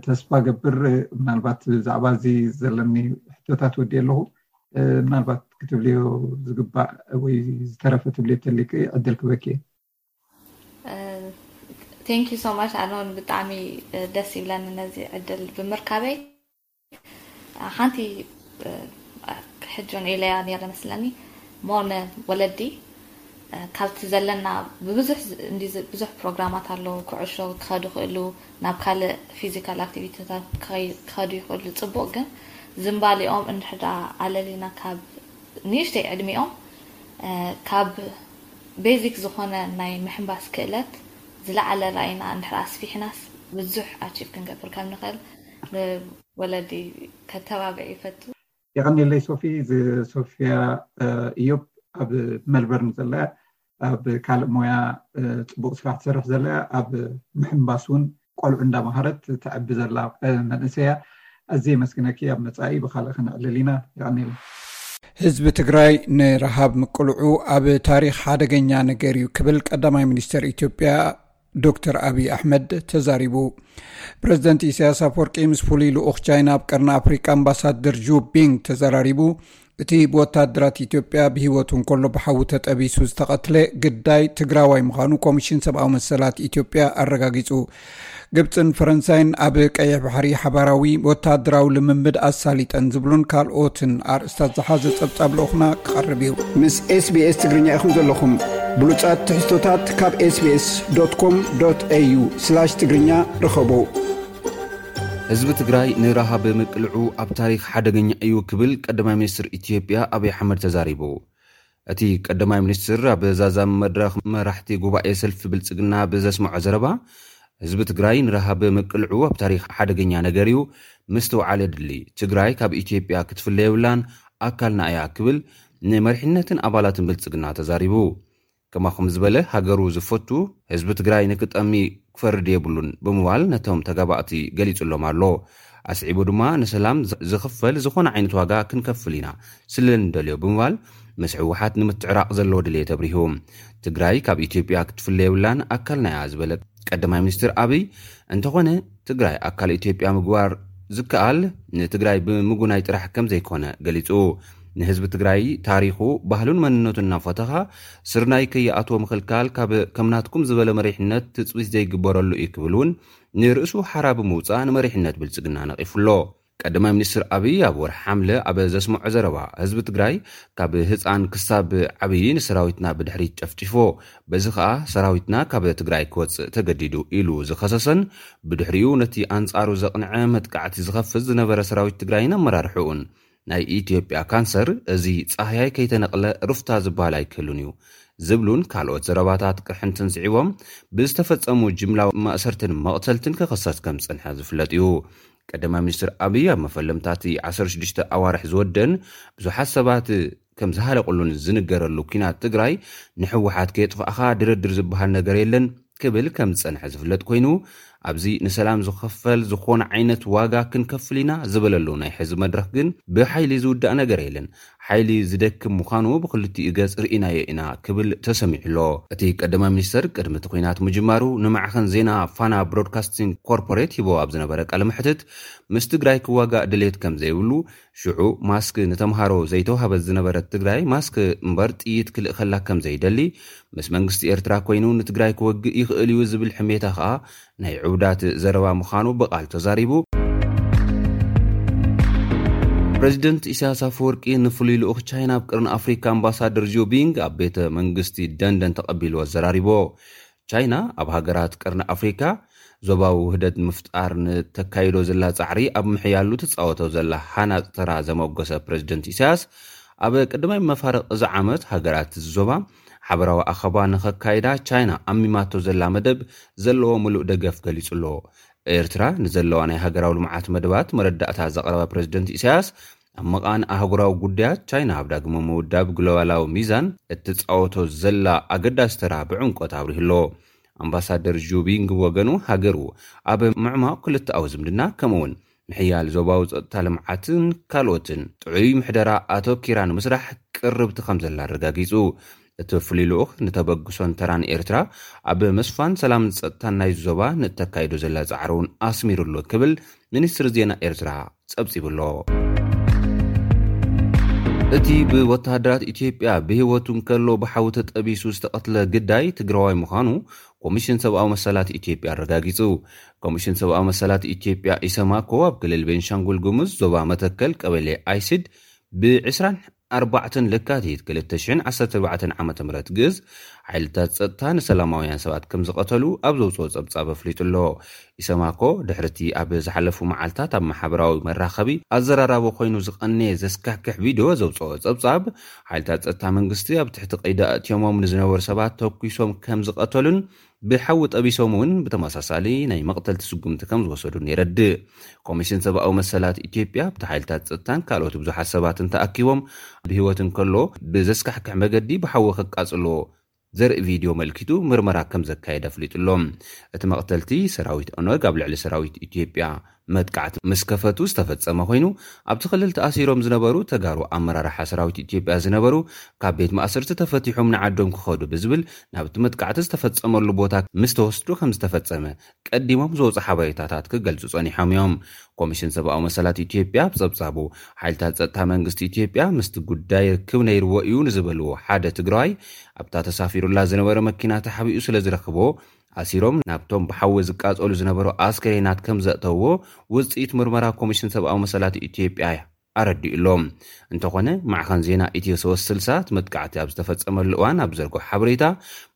ተስፋ ገብር። ምናልባት ብዛዕባ እዚ ዘለኒ ሕቶታት ወዲ ኣለኹ። ምናልባት ክትብልዮ ዝግባእ ወይ ዝተረፈ ትብልዮ ተሊክ ዕድል ክበኪ። Thank you so much ኣነ እውን ብጣዕሚ ደስ ይብለኒ ነዚ ዕድል ብምርካበይ። ሓንቲ ሕጂ እውን ኢለያ ነረ መስለኒ ሞነ ወለዲ ካብቲ ዘለና ብብዙሕ ብዙሕ ፕሮግራማት ኣለዉ። ኩዕሾ ክኸዱ ይኽእሉ፣ ናብ ካልእ ፊዚካል ኣክቲቪቲታት ክኸዱ ይኽእሉ። ፅቡቅ ግን ዝምባሊኦም እንድሕር ኣለሊና ካብ ንእሽተይ ዕድሚኦም ካብ ቤዚክ ዝኾነ ናይ ምሕንባስ ክእለት ዝለዓለ ራእይና እንድሕር ኣስፊሕናስ ብዙሕ ኣቺቭ ክንገብር ከም ንኽእል ንወለዲ ከተባብዕ ይፈቱ። የቐንየለይ ሶፊ። ሶፊያ እዮብ ኣብ መልበርን ዘላ ኣብ ካልእ ሞያ ፅቡቅ ስራሕ ትሰርሕ ዘላ ኣብ ምሕንባስ እውን ቆልዑ እንዳመሃረት ተዕቢ ዘላ መንእሰያ። ኣዝየ የመስግነኪ። ኣብ መፃኢ ብካልእ ክነዕልል ኢና። የቐንየለይ። ህዝቢ ትግራይ ንረሃብ ምቅልዑ ኣብ ታሪኽ ሓደገኛ ነገር እዩ ክብል ቀዳማይ ሚኒስትር ኢትዮጵያ ዶክተር ኣብይ ኣሕመድ ተዛሪቡ። ፕሬዚደንት ኢሳያስ ኣፈወርቂ ምስ ፍሉይ ልኡኽ ቻይና ኣብ ቀርኒ ኣፍሪቃ ኣምባሳደር ጁ ቢንግ ተዘራሪቡ። እቲ ብወታደራት ኢትዮጵያ ብህይወቱ እንከሎ ብሓዊ ተጠቢሱ ዝተቐትለ ግዳይ ትግራዋይ ምዃኑ ኮሚሽን ሰብኣዊ መሰላት ኢትዮጵያ ኣረጋጊጹ። ግብፅን ፈረንሳይን ኣብ ቀይሕ ባሕሪ ሓባራዊ ወታደራዊ ልምምድ ኣሳሊጠን ዝብሉን ካልኦትን ኣርእስታት ዝሓዘ ጸብጻብ ልኡኽና ክቐርብ እዩ። ምስ SBS ትግርኛ ኢኹም ዘለኹም። ብሉጻት ትሕዝቶታት ካብ SBS.com.au/ትግርኛ ርኸቡ። ህዝቢ ትግራይ ንረሃብ ምቅልዑ ኣብ ታሪኽ ሓደገኛ እዩ ክብል ቀዳማይ ሚኒስትር ኢትዮጵያ ኣብይ ኣሕመድ ተዛሪቡ። እቲ ቀዳማይ ሚኒስትር ኣብ ዛዛም መድረኽ መራሕቲ ጉባኤ ሰልፊ ብልጽግና ብዘስምዖ ዘረባ፣ ህዝቢ ትግራይ ንረሃብ ምቅልዑ ኣብ ታሪኽ ሓደገኛ ነገር እዩ፣ ምስትውዓል የድሊ። ትግራይ ካብ ኢትዮጵያ ክትፍለ የብላን፣ ኣካልና እያ ክብል ንመሪሕነትን ኣባላትን ብልጽግና ተዛሪቡ። ከማኹም ዝበለ ሃገሩ ዝፈቱ ህዝቢ ትግራይ ንክጠሚ ክፈርድ የብሉን ብምባል ነቶም ተጋባእቲ ገሊጹሎም ኣሎ። ኣስዒቡ ድማ ንሰላም ዝ-፣ ዝኽፈል ዝኾነ ዓይነት ዋጋ ክንከፍል ኢና ስለ እንደልዮ ብምባል ምስ ህወሓት ንምትዕራቕ ዘለዎ ድልየት ኣብሪሁ። ትግራይ ካብ ኢትዮጵያ ክትፍለ የብላን፣ ኣካልና እያ ዝበለ ቀዳማይ ሚኒስትር ኣብይ፣ እንተኾነ ትግራይ ኣካል ኢትዮጵያ ምግባር ዝከኣል ንትግራይ ብምጉናይ ጥራሕ ከም ዘይኮነ ገሊጹ። ንህዝቢ ትግራይ ታሪኹ፣ ባህሉን መንነቱን እናፈተኻ ስርናይ ከይኣትዎ ምኽልካል ካብ ከም ናትኩም ዝበለ መሪሕነት ትጽቢት ዘይግበረሉ እዩ ክብል እውን ንርእሱ ሓራ ብምውጻእ ንመሪሕነት ብልጽግና ነቒፉ ኣሎ። ቀዳማይ ሚኒስትር ኣብይ ኣብ ወርሒ ሓምለ ኣብ ዘስምዖ ዘረባ፣ ህዝቢ ትግራይ ካብ ህፃን ክሳብ ዓብዪ ንሰራዊትና ብድሕሪት ጨፍጭፎ፣ በዚ ኸኣ ሰራዊትና ካብ ትግራይ ክወፅእ ተገዲዱ ኢሉ ዝኸሰሰን ብድሕሪኡ ነቲ ኣንጻሩ ዘቕንዐ መጥቃዕቲ ዝኸፍት ዝነበረ ሰራዊት ትግራይን ኣመራርሕኡን ናይ ኢትዮጵያ ካንሰር፣ እዚ ጻህያይ ከይተነቕለ ሩፍታ ዝበሃል ኣይክህሉን እዩ ዝብሉን ካልኦት ዘረባታት ቅርሕንትን ስዒቦም ብዝተፈጸሙ ጅምላዊ ማእሰርትን መቕተልትን ክኽሰስ ከም ዝጸንሐ ዝፍለጥ እዩ። ቀዳማይ ሚኒስትር ኣብይ ኣብ መፈለምታ እቲ ዓሰርተ ሽዱሽተ ኣዋርሕ ዝወደን ብዙሓት ሰባት ከም ዝሃለቁሉን ዝንገረሉ ኲናት ትግራይ ንህወሓት ከየጥፋእኻ ድርድር ዝበሃል ነገር የለን ክብል ከም ዝጸንሐ ዝፍለጥ ኮይኑ፣ ኣብዚ ንሰላም ዝኸፈል ዝኾነ ዓይነት ዋጋ ክንከፍል ኢና ዝበለሉ ናይ ሕዚ መድረኽ ግን ብሓይሊ ዝውዳእ ነገር የለን። ሓይሊ ዝደክም ምዃኑ ብክልቲኡ ገጽ ርኢናዮ ኢና ክብል ተሰሚዑ ኣሎ። እቲ ቀዳማይ ሚኒስተር ቅድሚ እቲ ኲናት ምጅማሩ ንማዕኸን ዜና ፋና ብሮድካስቲንግ ኮርፖሬት ሂቦ ኣብ ዝነበረ ቃለ መሕትት፣ ምስ ትግራይ ክዋጋእ ድሌት ከም ዘይብሉ፣ ሽዑ ማስክ ንተምሃሮ ዘይተዋህበት ዝነበረት ትግራይ ማስክ እምበር ጥይት ክልእኸላ ከም ዘይደሊ፣ ምስ መንግስቲ ኤርትራ ኮይኑ ንትግራይ ክወግእ ይኽእል እዩ ዝብል ሕሜታ ከኣ ናይ ዕቡዳት ዘረባ ምዃኑ ብቓል ተዛሪቡ። ፕረዚደንት ኢሳያስ ኣፈወርቂ ንፍሉይ ልኡኽ ቻይና ኣብ ቅርኒ ኣፍሪካ ኣምባሳደር ዚዮ ቢንግ ኣብ ቤተ መንግስቲ ደንደን ተቐቢሉ ኣዘራሪቦ። ቻይና ኣብ ሃገራት ቅርኒ ኣፍሪካ ዞባዊ ውህደት ንምፍጣር ንተካይዶ ዘላ ጻዕሪ ኣብ ምሕያሉ ትጻወቶ ዘላ ሃናጽ ተራ ዘመጎሰ ፕረዚደንት ኢሳያስ፣ ኣብ ቀዳማይ መፋርቕ እዚ ዓመት ሃገራት እዚ ዞባ ሓበራዊ ኣኸባ ንኸካይዳ ቻይና ኣሚማቶ ዘላ መደብ ዘለዎ ምሉእ ደገፍ ገሊጹ ኣሎ። ኤርትራ ንዘለዋ ናይ ሃገራዊ ልምዓት መደባት መረዳእታ ዘቕረበ ፕረዚደንት ኢሳያስ፣ ኣብ መቓን ኣህጉራዊ ጉዳያት ቻይና ኣብ ዳግመ ምውዳብ ግሎባላዊ ሚዛን እትጻወቶ ዘላ ኣገዳሲ ተራ ብዕምቆት ኣብሪሁ ኣሎ። ኣምባሳደር ጁ ቢንግ ብወገኑ፣ ሃገሩ ኣብ ምዕማቕ ክልተኣዊ ዝምድና ከምኡውን ምሕያል ዞባዊ ጸጥታ ልምዓትን ካልኦትን ጥዑይ ምሕደራ ኣተኪራ ንምስራሕ ቅርብቲ ከም ዘላ ኣረጋጊጹ። እቲ ፍሉይ ልኡኽ ንተበግሶን ተራን ኤርትራ ኣብ ምስፋን ሰላምን ጸጥታን ናይ ዞባ ንእተካይዶ ዘላ ጻዕሪ እውን ኣስሚሩሉ ክብል ሚኒስትሪ ዜና ኤርትራ ጸብጺቡ ኣሎ። እቲ ብወተሃደራት ኢትዮጵያ ብህይወቱ እንከሎ ብሓዊ ተጠቢሱ ዝተቐትለ ግዳይ ትግራዋይ ምዃኑ ኮሚሽን ሰብኣዊ መሰላት ኢትዮጵያ ኣረጋጊጹ። ኮሚሽን ሰብኣዊ መሰላት ኢትዮጵያ ኢሰማኮ ኣብ ክልል ቤንሻንጉል ጉሙዝ ዞባ መተከል ቀበሌ ኣይሲድ ብ ዕስራን ኣርባዕተን ለካቲት ክልተ ሽሕን ዓሰርተ ኣርባዕተን ዓመተ ምህረት ግእዝ ሓይልታት ጸጥታ ንሰላማውያን ሰባት ከም ዝቐተሉ ኣብ ዘውጽኦ ጸብጻብ ኣፍሊጡ ኣሎ። ኢሰማኮ ድሕርቲ ኣብ ዝሓለፉ መዓልታት ኣብ ማሕበራዊ መራኸቢ ኣዘራራቢ ኮይኑ ዝቐነየ ዘስካሕክሕ ቪድዮ ዘውጽኦ ጸብጻብ፣ ሓይልታት ጸጥታ መንግስቲ ኣብ ትሕቲ ቀይዲ ኣእትዮሞም ንዝነበሩ ሰባት ተኩሶም ከም ዝቐተሉን ብሓዊ ጠቢሶም እውን ብተመሳሳሊ ናይ መቕተልቲ ስጉምቲ ከም ዝወሰዱን የረድእ። ኮሚሽን ሰብኣዊ መሰላት ኢትዮጵያ ኣብቲ ሓይልታት ጸጥታን ካልኦት ብዙሓት ሰባትን ተኣኪቦም ብህይወት እንከሎ ብዘስካሕክሕ መገዲ ብሓዊ ከቃጽሎ ዘርኢ ቪድዮ መልኪቱ ምርመራ ከም ዘካየደ ኣፍሊጡ ኣሎ። እቲ መቕተልቲ ሰራዊት ኦነግ ኣብ ልዕሊ ሰራዊት ኢትዮጵያ መጥቃዕቲ ምስ ከፈቱ ዝተፈጸመ ኮይኑ፣ ኣብቲ ክልል ተኣሲሮም ዝነበሩ ተጋሩ ኣመራርሓ ሰራዊት ኢትዮጵያ ዝነበሩ ካብ ቤት ማእሰርቲ ተፈቲሖም ንዓዶም ክኸዱ ብዝብል ናብቲ መጥቃዕቲ ዝተፈጸመሉ ቦታ ምስ ተወስዱ ከም ዝተፈጸመ ቀዲሞም ዝወፁ ሓበሬታታት ክገልጹ ጸኒሖም እዮም። ኮሚሽን ሰብኣዊ መሰላት ኢትዮጵያ ኣብ ጸብጻቡ፣ ሓይልታት ጸጥታ መንግስቲ ኢትዮጵያ ምስቲ ጉዳይ ርክብ ነይርዎ እዩ ንዝበልዎ ሓደ ትግራዋይ፣ ኣብታ ተሳፊሩላ ዝነበረ መኪና ተሓቢኡ ስለ ዝረኽቦ፣ ኣሲሮም ናብቶም ብሓዊ ዝቃጸሉ ዝነበሩ ኣስከሬናት ከም ዘእተውዎ ውጽኢት ምርመራ ኮሚሽን ሰብኣዊ መሰላት ኢትዮጵያ ኣረዲኡ ኣሎ። እንተኾነ፣ ማዕኸን ዜና ኢትዮ ሶስት ስልሳ እቲ መጥቃዕቲ ኣብ ዝተፈጸመሉ እዋን ኣብ ዘርግሖ ሓበሬታ፣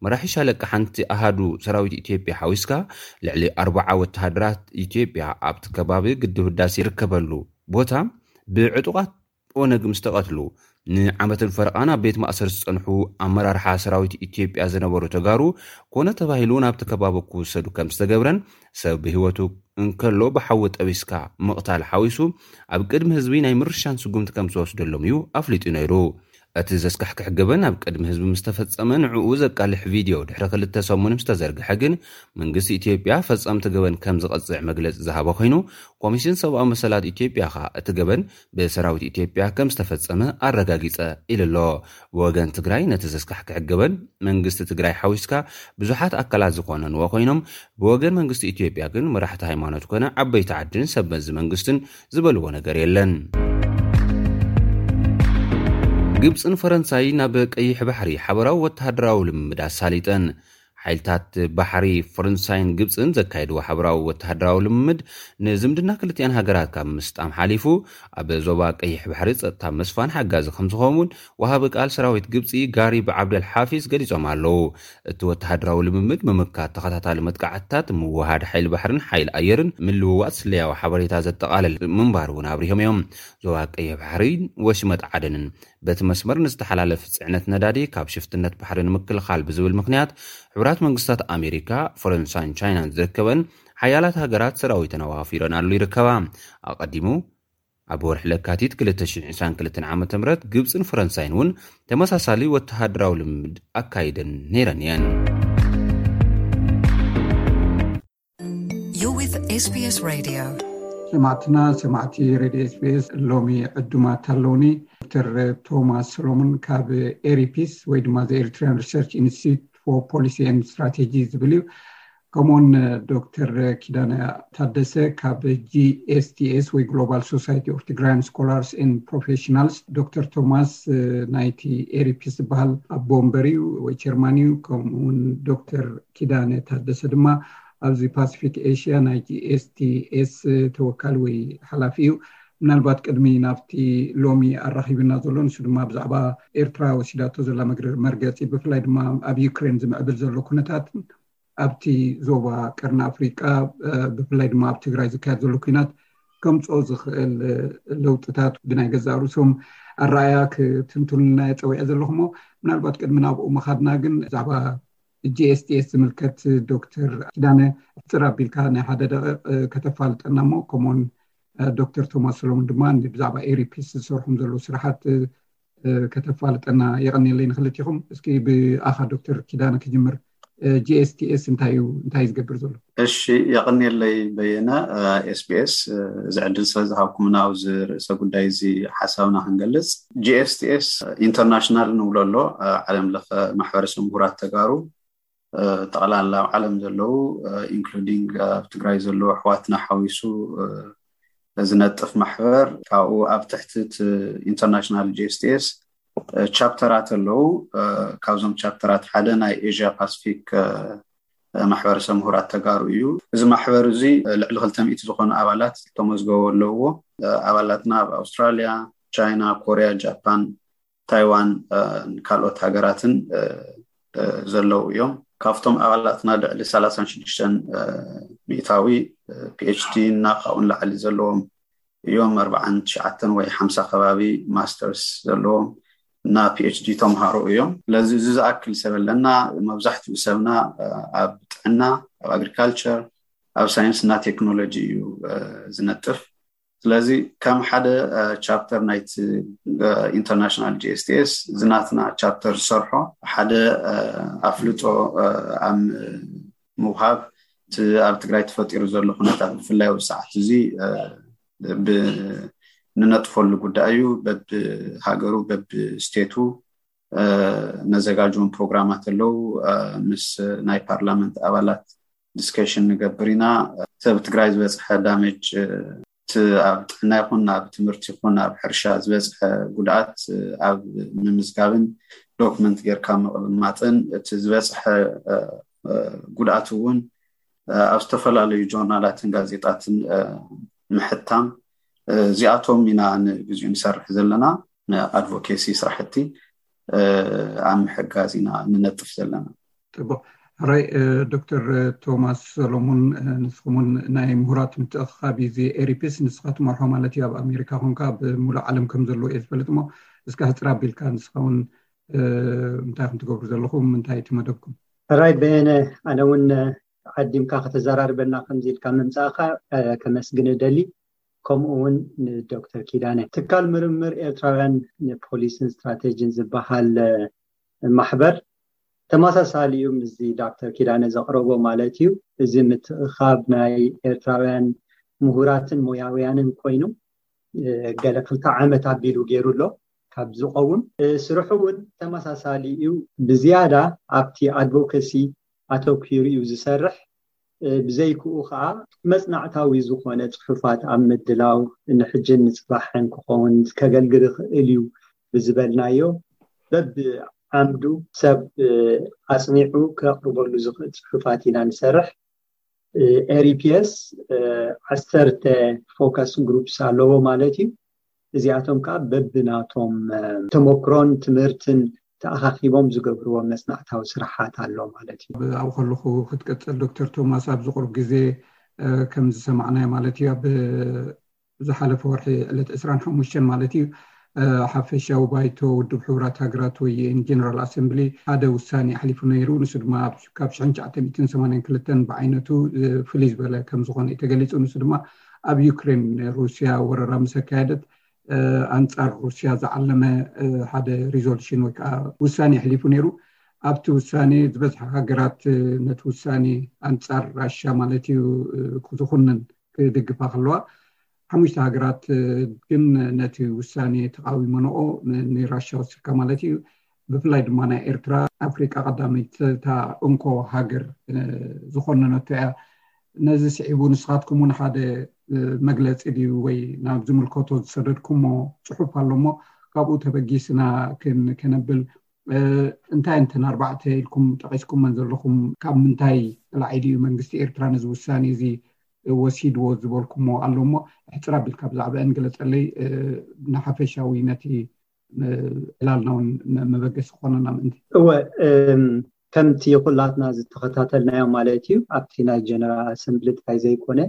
መራሒ ሻለቃ ሓንቲ ኣሃዱ ሰራዊት ኢትዮጵያ ሓዊስካ ልዕሊ ኣርባዓ ወተሃደራት ኢትዮጵያ ኣብቲ ከባቢ ግድብ ህዳሴ ይርከበሉ ቦታ ብዕጡቓት ኦነግ ምስ ተቐትሉ፣ ንዓመትን ፈረቓን ኣብ ቤት ማእሰር ዝጸንሑ ኣመራርሓ ሰራዊት ኢትዮጵያ ዝነበሩ ተጋሩ ኮነ ተባሂሉ ናብቲ ከባቢ ክውሰዱ ከም ዝተገብረን፣ ሰብ ብህይወቱ እንከሎ ብሓዊ ጠቢስካ ምቕታል ሓዊሱ ኣብ ቅድሚ ህዝቢ ናይ ምርሻን ስጉምቲ ከም ዝወስደሎም እዩ ኣፍሊጡ ነይሩ። እቲ ዘስካሕክሕ ገበን ኣብ ቅድሚ ህዝቢ ምስ ተፈጸመ፣ ንዕኡ ዘቃልሕ ቪድዮ ድሕሪ ክልተ ሰሙን ምስ ተዘርግሐ ግን፣ መንግስቲ ኢትዮጵያ ፈጸምቲ ገበን ከም ዝቐጽዕ መግለጺ ዝሃበ ኮይኑ፣ ኮሚሽን ሰብኣዊ መሰላት ኢትዮጵያ ኸኣ እቲ ገበን ብሰራዊት ኢትዮጵያ ከም ዝተፈጸመ ኣረጋጊጸ ኢሉ ኣሎ። ብወገን ትግራይ፣ ነቲ ዘስካሕክሕ ገበን መንግስቲ ትግራይ ሓዊስካ ብዙሓት ኣካላት ዝኾነንዎ ኮይኖም፣ ብወገን መንግስቲ ኢትዮጵያ ግን መራሕቲ ሃይማኖት ኮነ ዓበይቲ ዓድን ሰብ መዚ መንግስትን ዝበልዎ ነገር የለን። ግብፅን ፈረንሳይ ናብ ቀይሕ ባሕሪ ሓበራዊ ወተሃደራዊ ልምምድ ኣሳሊጠን። ሓይልታት ባሕሪ ፈረንሳይን ግብፅን ዘካየድዎ ሓበራዊ ወተሃደራዊ ልምምድ ንዝምድና ክልቲኣን ሃገራት ካብ ምስጣም ሓሊፉ፣ ኣብ ዞባ ቀይሕ ባሕሪ ጸጥታ ምስፋን ሓጋዚ ከም ዝኸውን ወሃቢ ቃል ሰራዊት ግብፂ ጋሪብ ዓብደል ሓፊዝ ገሊጾም ኣለዉ። እቲ ወተሃደራዊ ልምምድ ምምካት ተኸታታሊ መጥቃዕትታት፣ ምውሃድ ሓይሊ ባሕርን ሓይሊ ኣየርን፣ ምልውዋጥ ስለያዊ ሓበሬታ ዘጠቓለል ምንባሩ እውን ኣብሪሆም እዮም። ዞባ ቀይሕ ባሕሪ ወሽመጥ ዓደንን በቲ መስመር ንዝተሓላለፍ ጽዕነት ነዳዲ ካብ ሽፍትነት ባሕሪ ንምክልኻል ብዝብል ምኽንያት፣ ሕቡራት መንግስታት ኣሜሪካ፣ ፈረንሳይን ቻይናን ዝርከበን ሓያላት ሃገራት ሰራዊተን ኣዋፊረናሉ ይርከባ። ኣቐዲሙ፣ ኣብ ወርሒ ለካቲት ክልተ ሽሕን ዕስራን ክልተን ዓመተ ምህረት፣ ግብጽን ፈረንሳይን እውን ተመሳሳሊ ወተሃደራዊ ልምምድ ኣካይደን ነይረን እየን። You're with S B S Radio. ሰማዕትና፣ ሰማዕቲ ሬድዮ S B S፣ ሎሚ ዕዱማት ኣለውኒ። ዶክተር ቶማስ ሰሎሞን ካብ ኤሪፒስ ወይ ድማ ዘ ኤሪትሪያን ሪሰርች ኢንስቲትዩት ፎር ፖሊሲ ኤንድ ስትራቴጂ ዝብል እዩ። ከምኡውን ዶክተር ኪዳነ ታደሰ ካብ ጂ ኤስ ቲ ኤስ ወይ ግሎባል ሶሳይቲ ኦፍ ትግራያን ስኮላርስ ኤንድ ፕሮፌሽናልስ። ዶክተር ቶማስ፣ እ፣ ናይቲ ኤሪፒስ ዝበሃል ኣቦ ወንበር እዩ ወይ ቸርማን እዩ። ከምኡውን ዶክተር ኪዳነ ታደሰ ድማ ኣብዚ ፓሲፊክ ኤሽያ ናይ ጂ ኤስ ቲ ኤስ ተወካሊ ወይ ሓላፊ እዩ። ምናልባት ቅድሚ ናብቲ ሎሚ ኣራኺብና ዘሎ፣ ንሱ ድማ ብዛዕባ ኤርትራ ወሲዳቶ ዘላ መግረ-፣ መርገጺ፣ ብፍላይ ድማ ኣብ ዩክሬን ዝምዕብል ዘሎ ኩነታት፣ ኣብቲ ዞባ ቀርኒ ኣፍሪቃ፣ እ፣ ብፍላይ ድማ ኣብ ትግራይ ዝካየድ ዘሎ ኲናት ከምጽኦ ዝኽእል፣ እ፣ ለውጥታት ብናይ ገዛእ ርእሶም ኣረኣያ ክትንትኑልና እየ ጸዊዐ ዘለኹ። እሞ ምናልባት ቅድሚ ናብኡ ምኻድና ግን ብዛዕባ ጂ ኤስ ቲ ኤስ ዝምልከት ዶክተር ኪዳነ፣ ሕጽር ኣቢልካ ናይ ሓደ ደቂቕ፣ እ፣ ከተፋልጠና እሞ፣ ከምኡውን፣ እ፣ ዶክተር ቶማስ ሰሎሞን ድማ ብዛዕባ ኤሪፒስ ዝሰርሖም ዘለዉ ስራሓት፣ እ፣ እ፣ ከተፋልጠና የቐንየለይ ንክልቲኹም። እስኪ ብኣኻ ዶክተር ኪዳነ ክጅምር። እ፣ ጂ ኤስ ቲ ኤስ እንታይ እዩ፣ እንታይ እዩ ዝገብር ዘሎ? እሺ፣ የቐንየለይ በየነ። እ፣ ኤስ ቢ ኤስ፣ እ፣ እዚ ዕድል ስለ ዝሃብኩምና ኣብዚ ርእሰ ጉዳይ እዚ ሓሳብና ክንገልጽ። ጂ ኤስ ቲ ኤስ ኢንተርናሽናል ንብሎ ኣሎ፣ እ፣ ዓለም ለኸ ማሕበረሰብ ምሁራት ተጋሩ፣ እ፣ ጠቕላላ ኣብ ዓለም ዘለዉ፣ እ፣ ኢንክሉዲንግ ኣብ ትግራይ ዘለዉ ኣሕዋትና ሓዊሱ፣ እ፣ ዝነጥፍ ማሕበር፣ ካብኡ ኣብ ትሕቲ እቲ ኢንተርናሽናል ጂ ኤስ ቲ ኤስ፣ እ፣ ቻፕተራት ኣለዉ። እ፣ ካብዞም ቻፕተራት ሓደ ናይ ኤዥያ ፓስፊክ፣ እ፣ ማሕበረሰብ ምሁራት ተጋሩ እዩ። እዚ ማሕበር እዚ፣ እ፣ ልዕሊ ክልተ ሚእቲ ዝኾኑ ኣባላት ተመዝገቡ ኣለውዎ። እ፣ ኣባላትና ኣብ ኣውስትራልያ፣ ቻይና፣ ኮርያ፣ ጃፓን፣ ታይዋን፣ እ፣ ካልኦት ሃገራትን፣ እ፣ እ፣ ዘለዉ እዮም። ካብቶም ኣባላትና ልዕሊ ሰላሳን ሽዱሽተን፣ እ፣ ሚእታዊ፣ እ፣ ፒ ኤች ዲ እና ካብኡ ንላዕሊ ዘለዎም እዮም። ኣርባዓን ትሽዓተን ወይ ሓምሳ ከባቢ ማስተርስ ዘለዎም እና ፒ ኤች ዲ ተምሃሮ እዮም። ስለዚ እዚ ዝኣክል ሰብ ኣለና። መብዛሕትኡ ሰብና፣ እ፣ ኣብ ጥዕና፣ ኣብ ኣግሪካልቸር፣ ኣብ ሳይንስ እና ቴክኖሎጂ እዩ፣ እ፣ ዝነጥፍ። ስለዚ ከም ሓደ፣ እ፣ ቻፕተር ናይቲ፣ እ፣ ኢንተርናሽናል ጂ ኤስ ቲ ኤስ፣ እዚ ናትና ቻፕተር ዝሰርሖ ሓደ፣ እ፣ ኣፍልጦ፣ እ፣ ኣብ ምውሃብ፣ እቲ ኣብ ትግራይ ተፈጢሩ ዘሎ ኩነታት ብፍላይ ኣብ ሰዓት እዚ ንነጥፈሉ ጉዳይ እዩ። በብሃገሩ በብስቴቱ ነዘጋጅዎም ፕሮግራማት ኣለዉ። ምስ ናይ ፓርላመንት ኣባላት ዲስከሽን ንገብር ኢና። ሰብ ትግራይ ዝበፅሐ ዳሜጅ እቲ ኣብ ጥዕና ይኹን ኣብ ትምህርቲ ይኹን ኣብ ሕርሻ ዝበፅሐ ጉድኣት ኣብ ምምዝጋብን ዶክመንት ጌርካ ምቕማጥን እቲ ዝበፅሐ ጉድኣት እውን ኣብ ዝተፈላለዩ ጆርናላትን ጋዜጣትን ምሕታም፣ እዚኣቶም ኢና ንግዚኡ ንሰርሕ ዘለና ኣድቮኬሲ ስራሕቲ ኣብ ምሕጋዝ ኢና ንነጥፍ ዘለና። ፅቡቅ። ሕራይ ዶክተር ቶማስ ሰሎሙን፣ ንስኹምን ናይ ምሁራት ምትእኽኻብ እዚ ኤሪፒስ ንስኻ ትመርሖ ማለት እዩ። ኣብ ኣሜሪካ ኮንካ ኣብ ሙሉእ ዓለም ከም ዘለዎ እየ ዝፈልጥ እሞ እስካ ሕፅር ኣቢልካ ንስኻ እውን እንታይ ከም ትገብሩ ዘለኹም እንታይ እቲ መደብኩም? ሕራይ በየነ፣ ኣነ እውን ዓዲምካ ከተዘራርበና ከምዚ ኢልካ ምምፃእካ ከመስግን እደሊ። ከምኡ እውን ንዶክተር ኪዳነ። ትካል ምርምር ኤርትራውያን ንፖሊስን ስትራቴጂን ዝበሃል ማሕበር ተመሳሳሊ እዩ ምስዚ ዶክተር ኪዳነ ዘቕረቦ ማለት እዩ። እዚ ምትእኻብ ናይ ኤርትራውያን ምሁራትን ሞያውያንን ኮይኑ ገለ ክልተ ዓመት ኣቢሉ ገይሩ ኣሎ ካብ ዝቐውም። ስርሑ እውን ተመሳሳሊ እዩ። ብዝያዳ ኣብቲ ኣድቮኬሲ ኣተኲሩ እዩ ዝሰርሕ። ብዘይክኡ ከዓ መፅናዕታዊ ዝኾነ ፅሑፋት ኣብ ምድላው ንሕጅን ንፅባሕን ክኸውን ከገልግል ይኽእል እዩ ብዝበልናዮ በብዓምዱ ሰብ ኣፅኒዑ ከቕርበሉ ዝኽእል ፅሑፋት ኢና ንሰርሕ። ኤሪፒኤስ ዓሰርተ ፎከስ ግሩፕስ ኣለዎ ማለት እዩ። እዚኣቶም ከዓ በብናቶም ተመክሮን ትምህርትን ተኣኻኺቦም ዝገብርዎ መፅናዕታዊ ስራሓት ኣሎ ማለት እዩ። ኣብኡ ከለኹ ክትቀፅል ዶክተር ቶማስ፣ ኣብዚ ቁሩብ ግዜ ከም ዝሰማዕናዮ ማለት እዩ ኣብ ዝሓለፈ ወርሒ ዕለት ዕስራን ሓሙሽተን ማለት እዩ ሓፈሻዊ ባይቶ ውድብ ሕቡራት ሃገራት ወይ ጀነራል ኣሰምብሊ ሓደ ውሳኔ ኣሕሊፉ ነይሩ። ንሱ ድማ ካብ ሽሕን ትሽዓተ ሚእትን ሰማንያን ክልተን ብዓይነቱ ፍልይ ዝበለ ከም ዝኾነ እዩ ተገሊፁ። ንሱ ድማ ኣብ ዩክሬን ሩስያ ወረራ ምስ ኣካየደት ኣንፃር ሩስያ ዝዓለመ ሓደ ሪዞሉሽን ወይ ከዓ ውሳኔ ኣሕሊፉ ነይሩ። ኣብቲ ውሳኔ ዝበዝሓ ሃገራት ነቲ ውሳኔ ኣንፃር ራሻ ማለት እዩ ዝኹንን ክድግፋ ከለዋ፣ ሓሙሽተ ሃገራት ግን ነቲ ውሳኔ ተቃዊመንኦ፣ ንራሻ ወሲድካ ማለት እዩ። ብፍላይ ድማ ናይ ኤርትራ ኣፍሪቃ ቀዳመይቲ እታ እንኮ ሃገር ዝኾነነቶ እያ። ነዚ ስዒቡ ንስኻትኩም እውን ሓደ መግለፂ ድዩ ወይ ናብ ዝምልከቶ ዝሰደድኩሞ ፅሑፍ ኣሎ እሞ ካብኡ ተበጊስና ከነብል እንታይ እንተን ኣርባዕተ ኢልኩም ጠቂስኩመን ዘለኹም ካብ ምንታይ ላዒሉ እዩ መንግስቲ ኤርትራ ነዚ ውሳኔ እዚ ወሲድዎ ዝበልኩሞ ኣሎ እሞ ሕፅር ኣቢልካ ብዛዕባአን ግለፀለይ። ንሓፈሻዊ ነቲ ዕላልና እውን መበገሲ ክኾነና ምእንቲ። እወ፣ ከምቲ ኩላትና ዝተኸታተልናዮ ማለት እዩ ኣብቲ ናይ ጀነራል ኣሰምብሊ ጥራይ ዘይኮነ